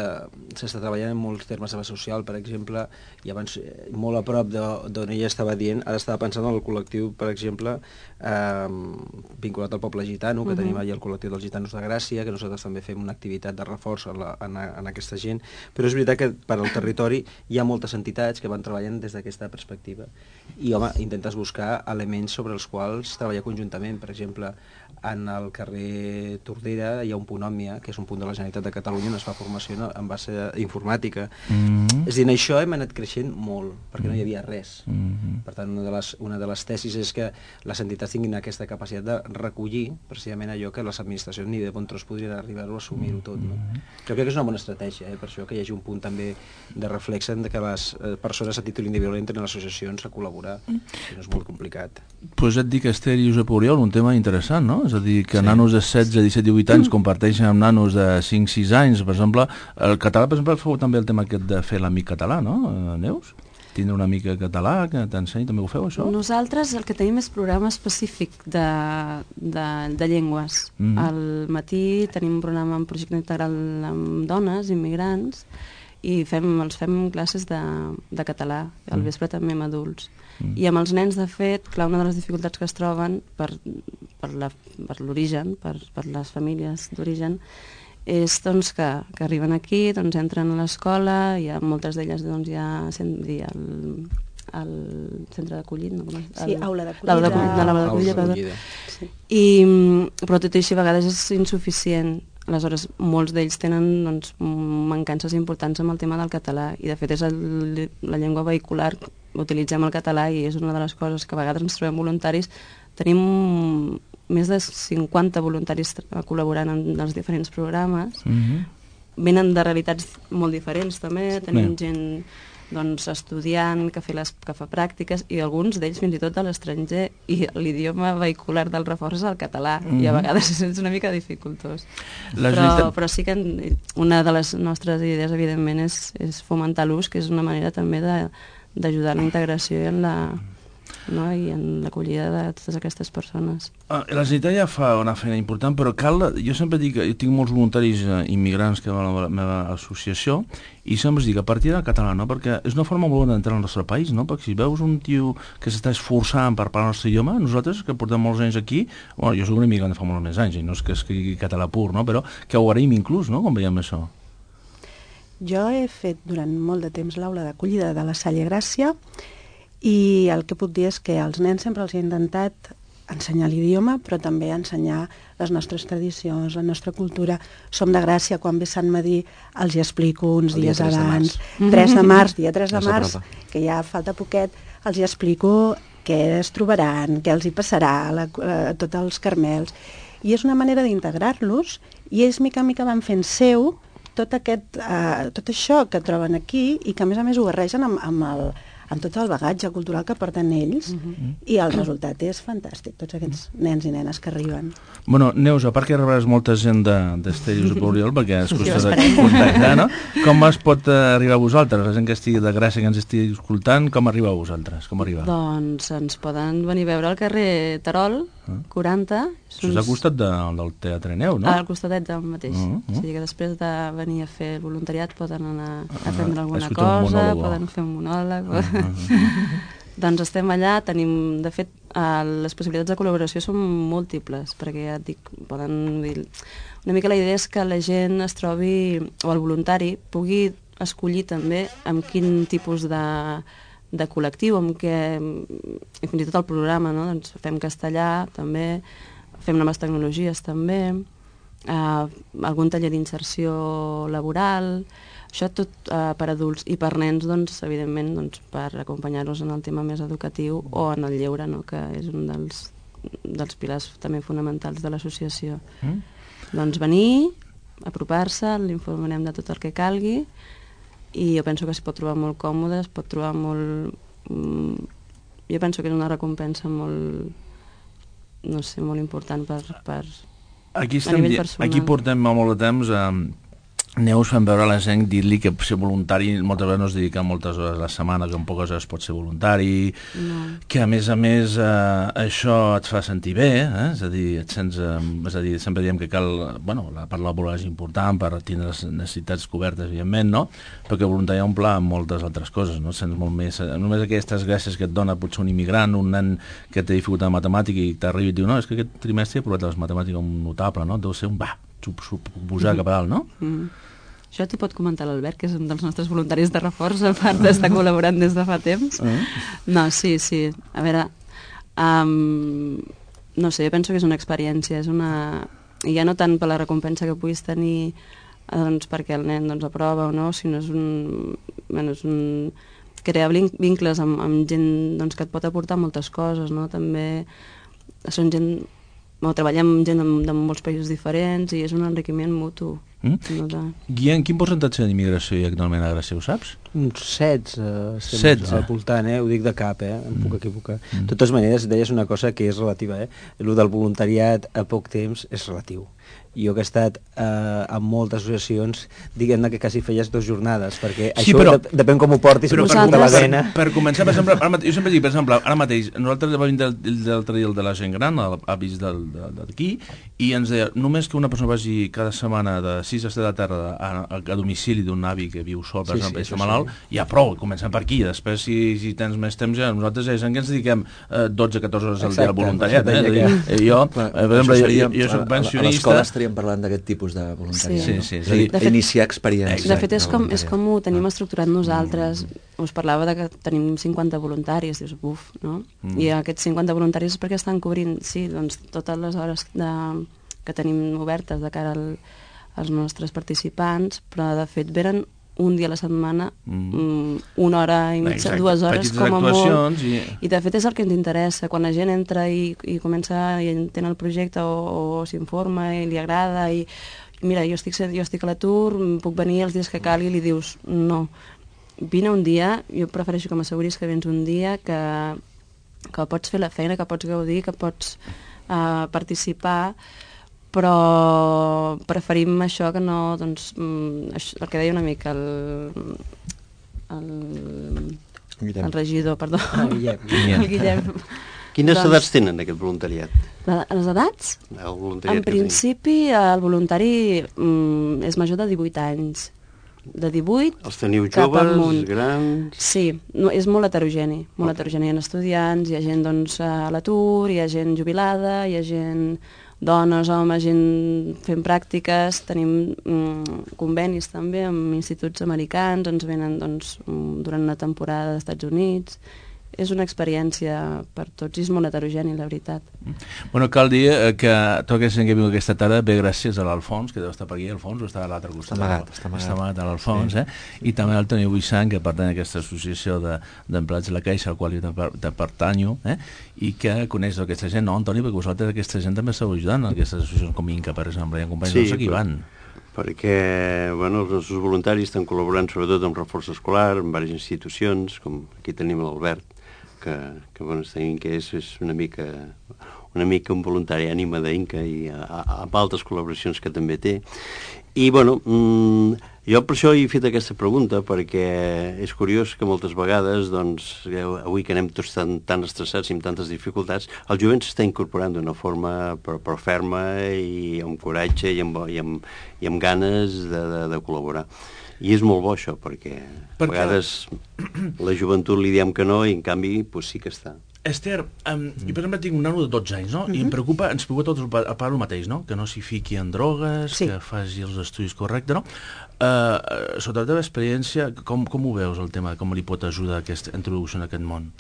s'està treballant en molts termes de base social, per exemple, i abans molt a prop d'on ella estava dient, ara estava pensant en el col·lectiu, per exemple, vinculat al poble gitano, que tenim allà el col·lectiu dels gitanos de Gràcia, que nosaltres també fem una activitat de reforç en aquesta gent, però és veritat que per al territori hi ha moltes entitats que van treballant des d'aquesta perspectiva i, home, intentes buscar elements sobre els quals treballar conjuntament. Per exemple, en el carrer Tordera hi ha un punt Òmnia, que és un punt de la Generalitat de Catalunya on es fa formació en base informàtica. És a dir, en això hem anat creixent molt, perquè no hi havia res. Per tant, una de les tesis és que les entitats tinguin aquesta capacitat de recollir precisament allò que les administracions ni de bon tros podrien arribar-ho a assumir-ho tot. No? Jo crec que és una bona estratègia, per això que hi hagi un punt també de reflex de que les persones a títol individual entren a associacions a col·laborar, que no és molt complicat. Pues et dic, Esther i Josep Oriol, un tema interessant, no? És a dir, que nanos de 16, 17, 18 anys comparteixen amb nanos de 5, 6 anys, per exemple. El català, per exemple, feu també el tema aquest de fer l'amic català, no, Neus? Tindre una mica català, que t'ensenyi, també ho feu, això? Nosaltres el que tenim és programa específic de llengües. Al matí tenim un programa en projecte integral amb dones, immigrants, i els fem classes de català, al vespre també amb adults. I amb els nens, de fet, clar, una de les dificultats que es troben per l'origen, per les famílies d'origen, és doncs, que arriben aquí, doncs, entren a l'escola, i moltes d'elles doncs, ja al centre d'acollit, no? Sí, aula d'acollida. Però tot i així a vegades és insuficient. Aleshores, molts d'ells tenen doncs, mancances importants amb el tema del català i de fet és la llengua vehicular, utilitzem el català i és una de les coses que a vegades ens trobem voluntaris. Tenim més de 50 voluntaris col·laborant en els diferents programes. Venen de realitats molt diferents també, tenim gent doncs, estudiant que fa pràctiques i alguns d'ells fins i tot a l'estranger i l'idioma vehicular del reforç és el català i a vegades és una mica dificultós. Però sí que una de les nostres idees evidentment és fomentar l'ús, que és una manera també d'ajudar en la integració i en l'acollida de totes aquestes persones. La Generalitat ja fa una feina important, però jo sempre dic que jo tinc molts voluntaris immigrants que van a la meva associació i sempre dic a partir del català, no? Perquè és una forma molt bona d'entrar al nostre país, no? Perquè si veus un tio que s'està esforçant per parlar el nostre idioma, nosaltres que portem molts anys aquí, jo soc un immigrant de fa molts més anys i no és que escrigui català pur, no? Però que ho agraïm inclús, no? Com veiem això. Jo he fet durant molt de temps l'aula d'acollida de la Salle Gràcia i el que puc dir és que als nens sempre els he intentat ensenyar l'idioma, però també ensenyar les nostres tradicions, la nostra cultura. Som de Gràcia, quan ve Sant Madí els hi explico uns dies abans. 3 de març, dia 3 de març, que ja falta poquet, els hi explico què es trobaran, què els hi passarà a tots els Carmels. I és una manera d'integrar-los i ells mica en mica van fent seu tot això que troben aquí i que a més ho barregen amb tot el bagatge cultural que porten ells i el resultat és fantàstic, tots aquests nens i nenes que arriben. Bueno, Neus, a part que rebràs molta gent d'Estèrios de Poliol, perquè és qüestió de contactar, no? Com es pot arribar a vosaltres? La gent que estigui de Gràcia, que ens estigui escoltant, com arriba a vosaltres? Doncs ens poden venir a veure al carrer Terol, 40. Això és al costat del Teatre Neu, no? Al costadet del mateix. O sigui que després de venir a fer el voluntariat poden anar a prendre alguna cosa, poden fer un monòleg... Doncs estem allà, tenim, de fet, les possibilitats de col·laboració són múltiples, perquè ja et dic, poden dir... Una mica la idea és que la gent es trobi, o el voluntari, pugui escollir també amb quin tipus de col·lectiu, amb què, i fins i tot el programa, no? Doncs fem castellà, també, fem noves tecnologies, també, algun taller d'inserció laboral... Això tot per adults i per nens, doncs, evidentment, doncs, per acompanyar-los en el tema més educatiu o en el lleure, no? Que és un dels pilars també fonamentals de l'associació. Doncs venir, apropar-se, l'informarem de tot el que calgui i jo penso que s'hi pot trobar molt còmode, es pot trobar molt... Jo penso que és una recompensa molt, no sé, molt important per a nivell personal. Aquí portem molt de temps Neus fem veure a la gent, dir-li que ser voluntari moltes vegades no es dedica moltes hores a la setmana, que en poques hores pot ser voluntari, que a més això et fa sentir bé, és a dir, sempre diem que cal, la part laboral és important per tindre les necessitats cobertes, evidentment, no? Però que voluntari omple amb moltes altres coses, no? Sents molt més, només aquestes gràcies que et dona potser un immigrant, un nen que té dificultat de matemàtica i t'arriba i diu, no, és que aquest trimestre he provat les matemàtiques un notable, no? Deu ser un pujar cap a dalt, no? Això t'hi pot comentar l'Albert, que és un dels nostres voluntaris de reforç, a part d'estar col·laborant des de fa temps. No, sí. A veure, no sé, jo penso que és una experiència, i ja no tant per la recompensa que puguis tenir doncs, perquè el nen aprova o no, sinó és crear vincles amb gent doncs, que et pot aportar moltes coses, no? També són gent... treballem amb gent de molts països diferents i és un enriquiment mutu. Guillem, quin percentatge d'immigració hi ha actualment a Gràcia, ho saps? Uns 16 al voltant, ho dic de cap, em puc equivocar. De totes maneres, deies una cosa que és relativa, el del voluntariat a poc temps és relatiu. Jo que he estat en moltes associacions, diguem-ne que quasi feies 2 jornades, perquè això depèn com ho portis, però per començar, per exemple, jo sempre dic, per exemple, ara mateix, nosaltres vam vindre l'altre dia el de la gent gran, avis d'aquí, i ens deia, només que una persona vagi cada setmana de 6 a 7 de la tarda a domicili d'un avi que viu sol, per exemple, i està malalt, ja prou, comencem per aquí, després si tens més temps, nosaltres ja ens dediquem 12-14 hores al dia al voluntariat, jo, per exemple, jo soc pensionista, parlant d'aquest tipus de voluntariat, sí. Iniciar experiències. De fet, és com ho tenim estructurat nosaltres. Us parlava que tenim 50 voluntaris, dius, buf, no? I aquests 50 voluntaris és perquè estan cobrint, sí, doncs, totes les hores que tenim obertes de cara els nostres participants, però de fet venen un dia a la setmana, una hora i mitja, 2 hores com a molt. I de fet és el que ens interessa. Quan la gent entra i comença i entén el projecte o s'informa i li agrada i mira, jo estic a l'atur, puc venir els dies que calgui, i li dius no, vine un dia, jo prefereixo que m'asseguris que vens un dia, que pots fer la feina, que pots gaudir, que pots participar, però preferim això que no, doncs, el que deia una mica el regidor, perdó, el Guillem. Quines edats tenen aquest voluntariat? Les edats? En principi el voluntari és major de 18 anys. De 18 els teniu joves, grans... Sí, és molt heterogeni. Molt heterogeni. Hi ha estudiants, hi ha gent doncs, a l'atur, hi ha gent jubilada, hi ha gent... dones, homes, gent fent pràctiques, tenim convenis també amb instituts americans, ens venen doncs, durant una temporada als Estats Units. És una experiència per tots i és molt heterogeni, la veritat. Bueno, cal dir que tota aquesta gent que viu aquesta tarda ve gràcies a l'Alfons, que deu estar per aquí, Alfons, o està a l'altre costat? Està amagat a l'Alfons, sí. I també al Toni Buissant, que pertany a aquesta associació d'empleats de la Caixa, al qual jo pertanyo, i que coneix aquesta gent, no, Antoni, perquè vosaltres aquesta gent també esteu ajudant en aquestes associacions com Inca, per exemple, i en companys nostres que hi van. Perquè bueno, els nostres voluntaris estan col·laborant sobretot amb reforç escolar, amb diverses institucions, com aquí tenim l'Albert, que bueno, que és una mica un voluntari ànima d'Inca i amb altres col·laboracions que també té. I bueno, jo per això he fet aquesta pregunta, perquè és curiós que moltes vegades, doncs, avui que anem tots tan estressats i amb tantes dificultats, el jovent s'està incorporant d'una forma però ferma i amb coratge i amb ganes de col·laborar. I és molt bo això, perquè a vegades la joventut li diem que no i en canvi pues, sí que està. Esther, jo per exemple tinc un nano de 12 anys, no? I ens preocupa tots a part el mateix, no? Que no s'hi fiqui en drogues, que faci els estudis correctes, no? Sota la teva experiència, com ho veus el tema? Com li pot ajudar aquesta introducció en aquest món?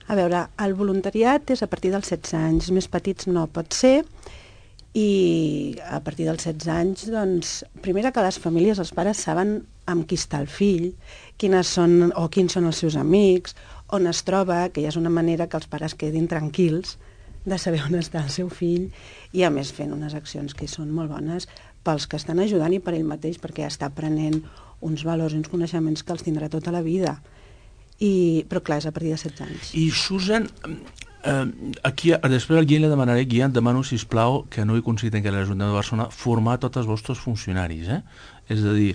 A veure, el voluntariat és a partir dels 16 anys, més petits no pot ser, i a partir dels 16 anys, doncs, primera que les famílies, els pares saben amb qui està el fill, quins són els seus amics, on es troba, que ja és una manera que els pares quedin tranquils de saber on està el seu fill, i a més fent unes accions que són molt bones pels que estan ajudant i per ell mateix, perquè està aprenent uns valors i uns coneixements que els tindrà tota la vida. Però clar, és a partir de 16 anys. I Susan, aquí, després al Guillem le demanaré, Guillem, demano, sisplau, que no he aconseguit encara a l'Ajuntament de Barcelona formar tots els vostres funcionaris, És a dir,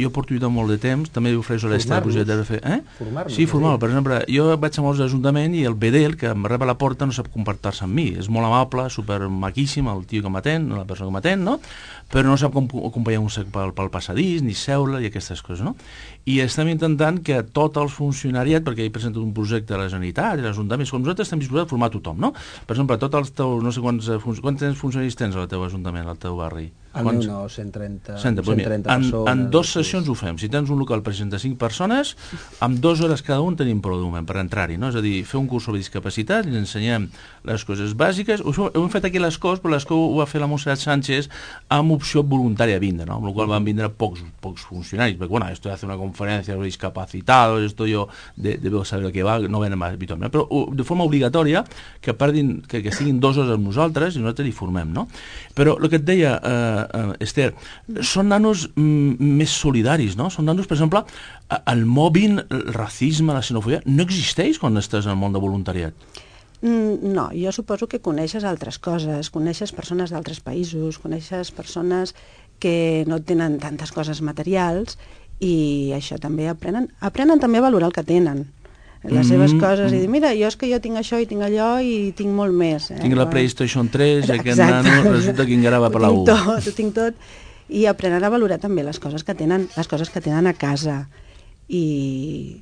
jo porto molt de temps, també ofereixo a l'Esther el projecte de fer... Formar-nos. Sí, formar-lo. Per exemple, jo vaig a molts ajuntaments i el Bedel, que em rep a la porta, no sap comportar-se amb mi. És molt amable, supermaquíssim, el tio que m'atén, la persona que m'atén, no? Però no sap com acompanyar un sec pel passadís, ni seure, i aquestes coses, no? I estem intentant que tot el funcionariat, perquè he presentat un projecte a la Generalitat i a l'Ajuntament, com nosaltres estem disposats a formar tothom, no? Per exemple, tots els teus, no sé quants funcionaris tens al teu Ajuntament, al teu barri? El meu no, 130 persones. En 2 sessions ho fem. Si tens un local per 65 persones, amb 2 hores cada un tenim prou d'un moment per entrar-hi, no? És a dir, fer un curs sobre discapacitat, ens ensenyem les coses bàsiques. Ho hem fet aquí a l'Escós, però l'Escós ho va fer la Montserrat Sánchez amb opció voluntària a vindre, no? Amb la qual van vindre pocs funcionaris, perquè, bueno, esto de hacer una conferencia sobre discapacitados, esto yo debo saber el que va, no venen habitualment, però de forma obligatòria, que estiguin 2 hores amb nosaltres i nosaltres hi formem, no? Però el que et deia, Esther, són nanos més solidaris, no? Són nanos, per exemple, el mobbing, el racisme, la xenofòbia, no existeix quan estàs en el món de voluntariat? No, jo suposo que coneixes altres coses, coneixes persones d'altres països, coneixes persones que no tenen tantes coses materials i això també aprenen també a valorar el que tenen, les seves coses, i dir, mira, jo tinc això i tinc allò i tinc molt més. Tinc la PlayStation 3 i aquest nano resulta que encara va per la U. Ho tinc tot, i aprenen a valorar també les coses que tenen a casa, i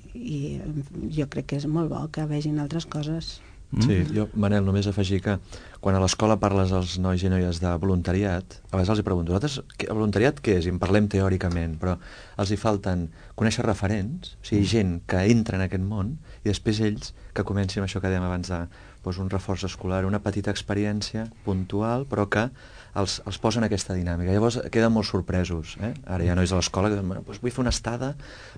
jo crec que és molt bo que vegin altres coses. Sí, jo, Manel, només afegir que quan a l'escola parles als nois i noies de voluntariat, a vegades els pregunto, vosaltres, voluntariat què és? I en parlem teòricament, però els hi falten conèixer referents, o sigui, gent que entra en aquest món, i després ells que comencin amb això que dèiem abans de doncs, un reforç escolar, una petita experiència puntual, però que els posen aquesta dinàmica. Llavors queden molt sorpresos. Ara hi ha nois a l'escola que diuen, bueno, doncs vull fer una estada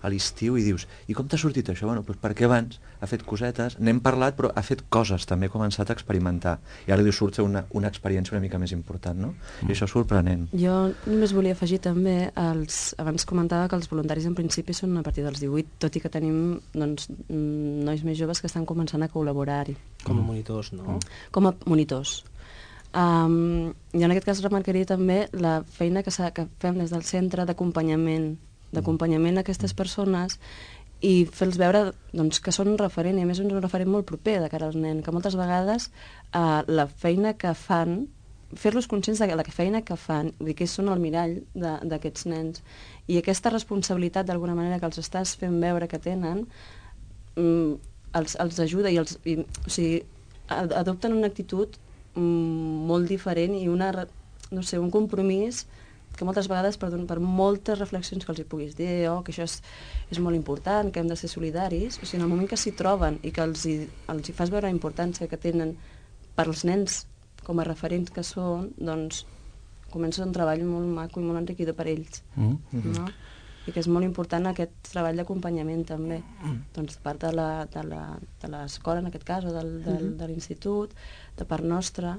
a l'estiu, i dius, i com t'ha sortit això? Bueno, doncs perquè abans ha fet cosetes, n'hem parlat, però ha fet coses, també ha començat a experimentar. I ara li surt una experiència una mica més important, no? I això és sorprenent. Jo només volia afegir també, abans comentava que els voluntaris en principi són a partir dels 18, tot i que tenim doncs, nois més joves que estan començant a col·laborar-hi. Com a monitors, no? Com a monitors. Jo en aquest cas remarcaria també la feina que fem des del centre d'acompanyament a aquestes persones i fer-los veure doncs, que són un referent, i a més un referent molt proper de cara als nens, que moltes vegades la feina que fan, fer-los conscients de la feina que fan, vull dir que són el mirall d'aquests nens, i aquesta responsabilitat d'alguna manera que els estàs fent veure que tenen els ajuda i o sigui, adopten una actitud molt diferent i un compromís que moltes vegades, per moltes reflexions que els hi puguis dir, que això és molt important, que hem de ser solidaris, o sigui, en el moment que s'hi troben i que els hi fas veure la importància que tenen per als nens com a referents que són, doncs comença un treball molt maco i molt enriquidor per ells, no? I que és molt important aquest treball d'acompanyament també, doncs de part de l'escola en aquest cas, o de l'institut, de part nostra,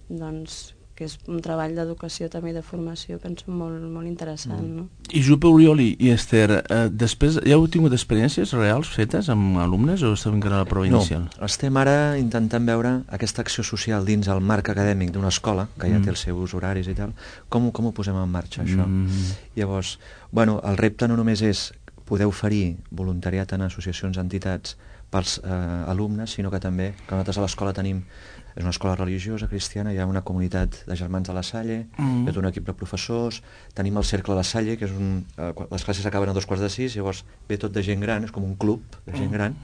doncs que és un treball d'educació també de formació, penso molt, molt interessant, no? I Jupe, Oriol i Esther, després ja heu tingut experiències reals fetes amb alumnes o esteu encara a la prova inicial? No, estem ara intentant veure aquesta acció social dins el marc acadèmic d'una escola, que ja té els seus horaris i tal, com ho posem en marxa, això? Llavors, bueno, el repte no només és poder oferir voluntariat en associacions, entitats pels alumnes, sinó que també, que nosaltres a l'escola tenim, és una escola religiosa, cristiana, hi ha una comunitat de germans de la Salle, hi ha tot un equip de professors, tenim el Cercle de la Salle, que és les classes acaben a 5:45, llavors ve tot de gent gran, és com un club de gent gran,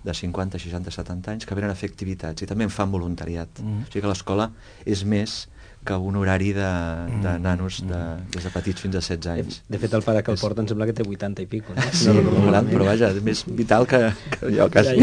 de 50, 60, 70 anys, que venen a fer activitats i també en fan voluntariat. O sigui que l'escola és més que un horari de nanos des de petits fins a 16 anys. De fet, el pare que el porta em sembla que té 80 i pico, no? Sí, molt gran, però vaja, és més vital que jo, quasi.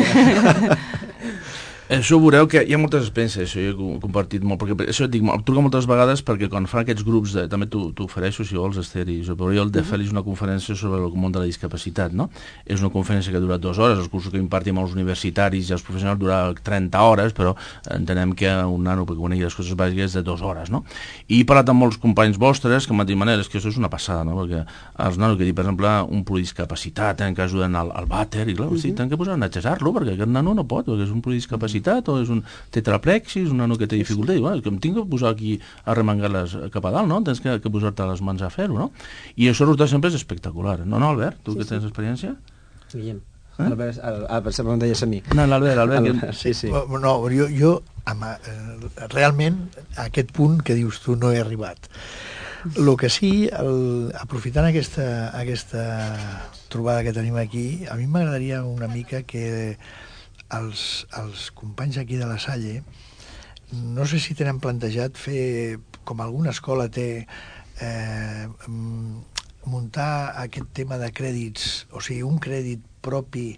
Això veureu que hi ha moltes experiències, això jo he compartit molt, perquè això et dic, em truca moltes vegades perquè quan fan aquests grups, també t'ho ofereixo, si vols, Esther i Oriol, de fer-los una conferència sobre el món de la discapacitat, no? És una conferència que dura 2 hores, els cursos que impartim als universitaris i als professionals dura 30 hores, però entenem que un nano, perquè conegui les coses bàsiques, és de 2 hores, no? I he parlat amb molts companys vostres que m'han dit, Manel, és que això és una passada, no? Perquè els nanos que diuen, per exemple, un pluridiscapacitat, que ajuden al vàter, i clar, tenen que posar a netgejar-lo, perquè aquest nano no pot, perquè és un pluridiscapacitat, o és un tetraplexis, un nano que té dificultat, i que em tinc que posar aquí a remengar-les cap a dalt, no? Tens que posar-te les mans a fer-ho, no? I això resulta sempre és espectacular, no, Albert? Tu que tens experiència? Guillem. Albert, sempre em deies a mi. No, l'Albert. Sí. No, jo realment a aquest punt que dius tu no he arribat. El que sí, aprofitant aquesta trobada que tenim aquí, a mi m'agradaria una mica que els companys aquí de la Salle, no sé si tenen plantejat fer, com alguna escola té, muntar aquest tema de crèdits, o sigui, un crèdit propi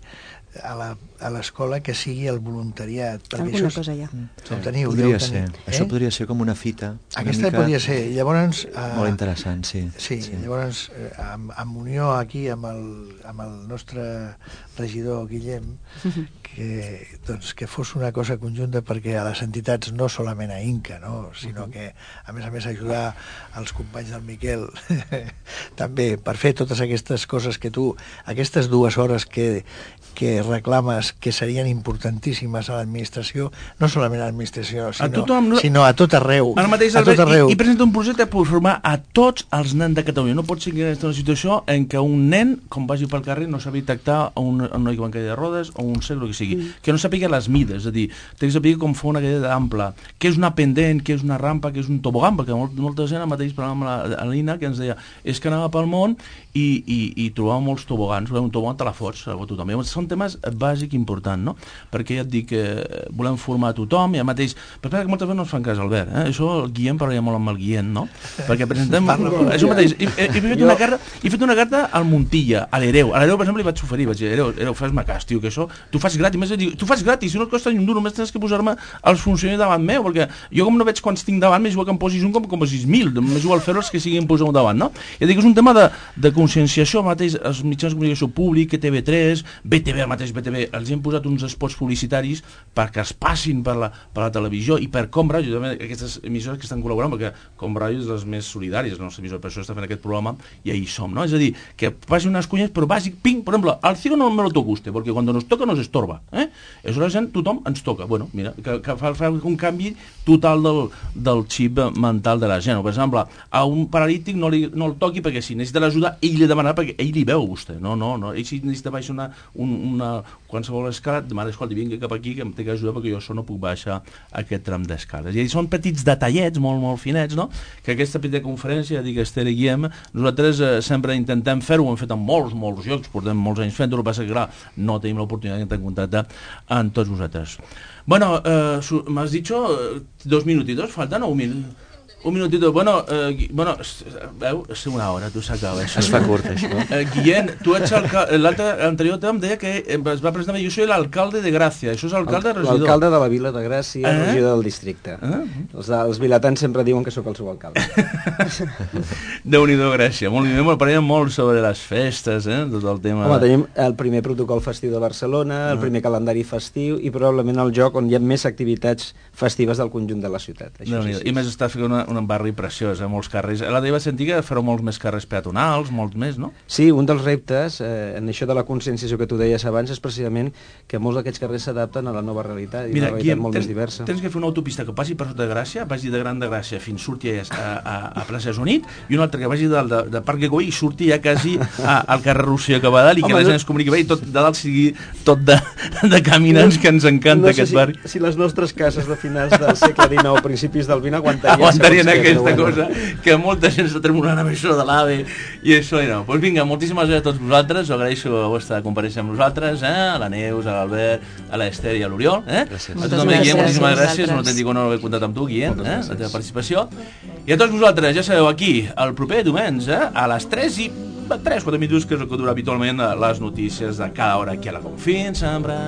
a l'escola que sigui el voluntariat. Alguna cosa ja. Ho teniu, podria ser. Això podria ser com una fita. Aquesta podria ser. Llavors, molt interessant, sí. Sí, llavors, amb unió aquí amb el nostre regidor Guillem, que fos una cosa conjunta perquè a les entitats, no solament a Inca, no? Sinó que a més ajudar els companys del Miquel també per fer totes aquestes coses que tu, aquestes 2 hores que reclames que serien importantíssimes a l'administració, no solament a l'administració, sinó a tot arreu. Ara mateix i presenta un projecte per formar a tots els nens de Catalunya. No pot ser que aquesta una situació en què un nen, com vagi pel carrer, no sabi detectar un noi que va en cadira de rodes o un cec, el que sigui. Que no sàpiga les mides, és a dir, té que saber com fa una cadira ampla, què és una pendent, què és una rampa, què és un tobogan, perquè molta gent, ara mateix parlàvem amb l'Ina, que ens deia, és que anava pel món i trobava molts tobogans, un tobogan te la fots, tothom. Són temes pas bàsic important, no? Perquè ja et dic que volem formar tothom, i mateix... Però que moltes vegades no ens fan cas, Albert, Això el Guillem parlaria molt amb el Guillem, no? Perquè presentem... Això mateix, he fet una carta al Montilla, a l'Hereu. A l'Hereu, per exemple, li vaig oferir, vaig dir, Hereu, fes-me cas, tio, que això... Tu fas gratis, més dir, tu fas gratis, si no et costa ni un duro, només tens que posar-me els funcionaris davant meu, perquè jo com no veig quants tinc davant, m'és igual que em posis un com 6.000, m'és igual fer-los que siguin posar un davant, no? I dic, és un tema de conscienciació, mateix, els mitjans de comunicació públic, TV3, BTV, el mateix BTV, els hem posat uns spots publicitaris perquè es passin per la televisió i per Com Ràdio, també aquestes emissores que estan col·laborant, perquè Com Ràdio és les més solidàries, la nostra emissora, per això està fent aquest programa i ahí som, no? És a dir, que passin unes cunyes, però bàsic, ping, per exemple, al ciego no me lo toca usted, perquè quan nos toca nos estorba, És la gent, tothom ens toca, bueno, mira, que fa un canvi total del xip mental de la gent, o per exemple, a un paralític no el toqui perquè si necessita l'ajuda, ell li demanarà perquè ell li veu a vostè, no, ell si necessita baixar una qualsevol escala, demana, escolta, vinga cap aquí que em té que ajudar perquè jo això no puc baixar aquest tram d'escales. I són petits detallets molt, molt finets, no? Que aquesta petita conferència, dic Esther i Guillem, nosaltres sempre intentem fer-ho, ho hem fet en molts llocs, portem molts anys fent-ho, el que passa que clar, no tenim l'oportunitat d'entrar en contacte amb tots vosaltres. Bueno, m'has dicho 2 minutitos, faltan o 1 minut? Un minutito, bueno, veu, és una hora, tu s'acaba això. Es fa curt, això. Guillem, tu ets l'anterior tema em deia que es va presentar, jo soy l'alcalde de Gràcia, això és alcalde regidor. L'alcalde de la vila de Gràcia, regidor del districte. Els vilatans sempre diuen que sóc el seu alcalde. Déu-n'hi-do, Gràcia, molt bé, parlem molt sobre les festes, tot el tema... Home, tenim el primer protocol festiu de Barcelona, el primer calendari festiu i probablement el lloc on hi ha més activitats festives del conjunt de la ciutat. I més està fent un barri preciós, molts carrers. La teva sentir que fareu molts més carrers peatonals, molts més, no? Sí, un dels reptes en això de la conscienciació que tu deies abans és precisament que molts d'aquests carrers s'adapten a la nova realitat i una realitat molt més diversa. Tens que fer una autopista que passi per sota de Gràcia, vagi de Gran de Gràcia fins surti a Plaça Junit i una altra que vagi de Parc Güell i surti ja quasi al carrer Rosselló que va dalt i que la gent es comuniqui bé i tot de dalt sigui tot de caminants, que ens encanta aquest barri. Si les nostres cases de finals del segle XIX o principis del XX aguantarien aquesta cosa, que molta gent s'ha tremolant amb això de l'AVE i això i no. Doncs vinga, moltíssimes gràcies a tots vosaltres, us agraeixo la vostra compareixença amb nosaltres, a la Neus, a l'Albert, a l'Ester i a l'Oriol. Gràcies. A tu també, Guillem, moltíssimes gràcies, un autèntic honor haver comptat amb tu, Guillem, la teva participació. I a tots vosaltres, ja sabeu, aquí, el proper diumenge, a les 3:04 minuts, que és el que dura habitualment les notícies de cada hora aquí a la Confins, sempre.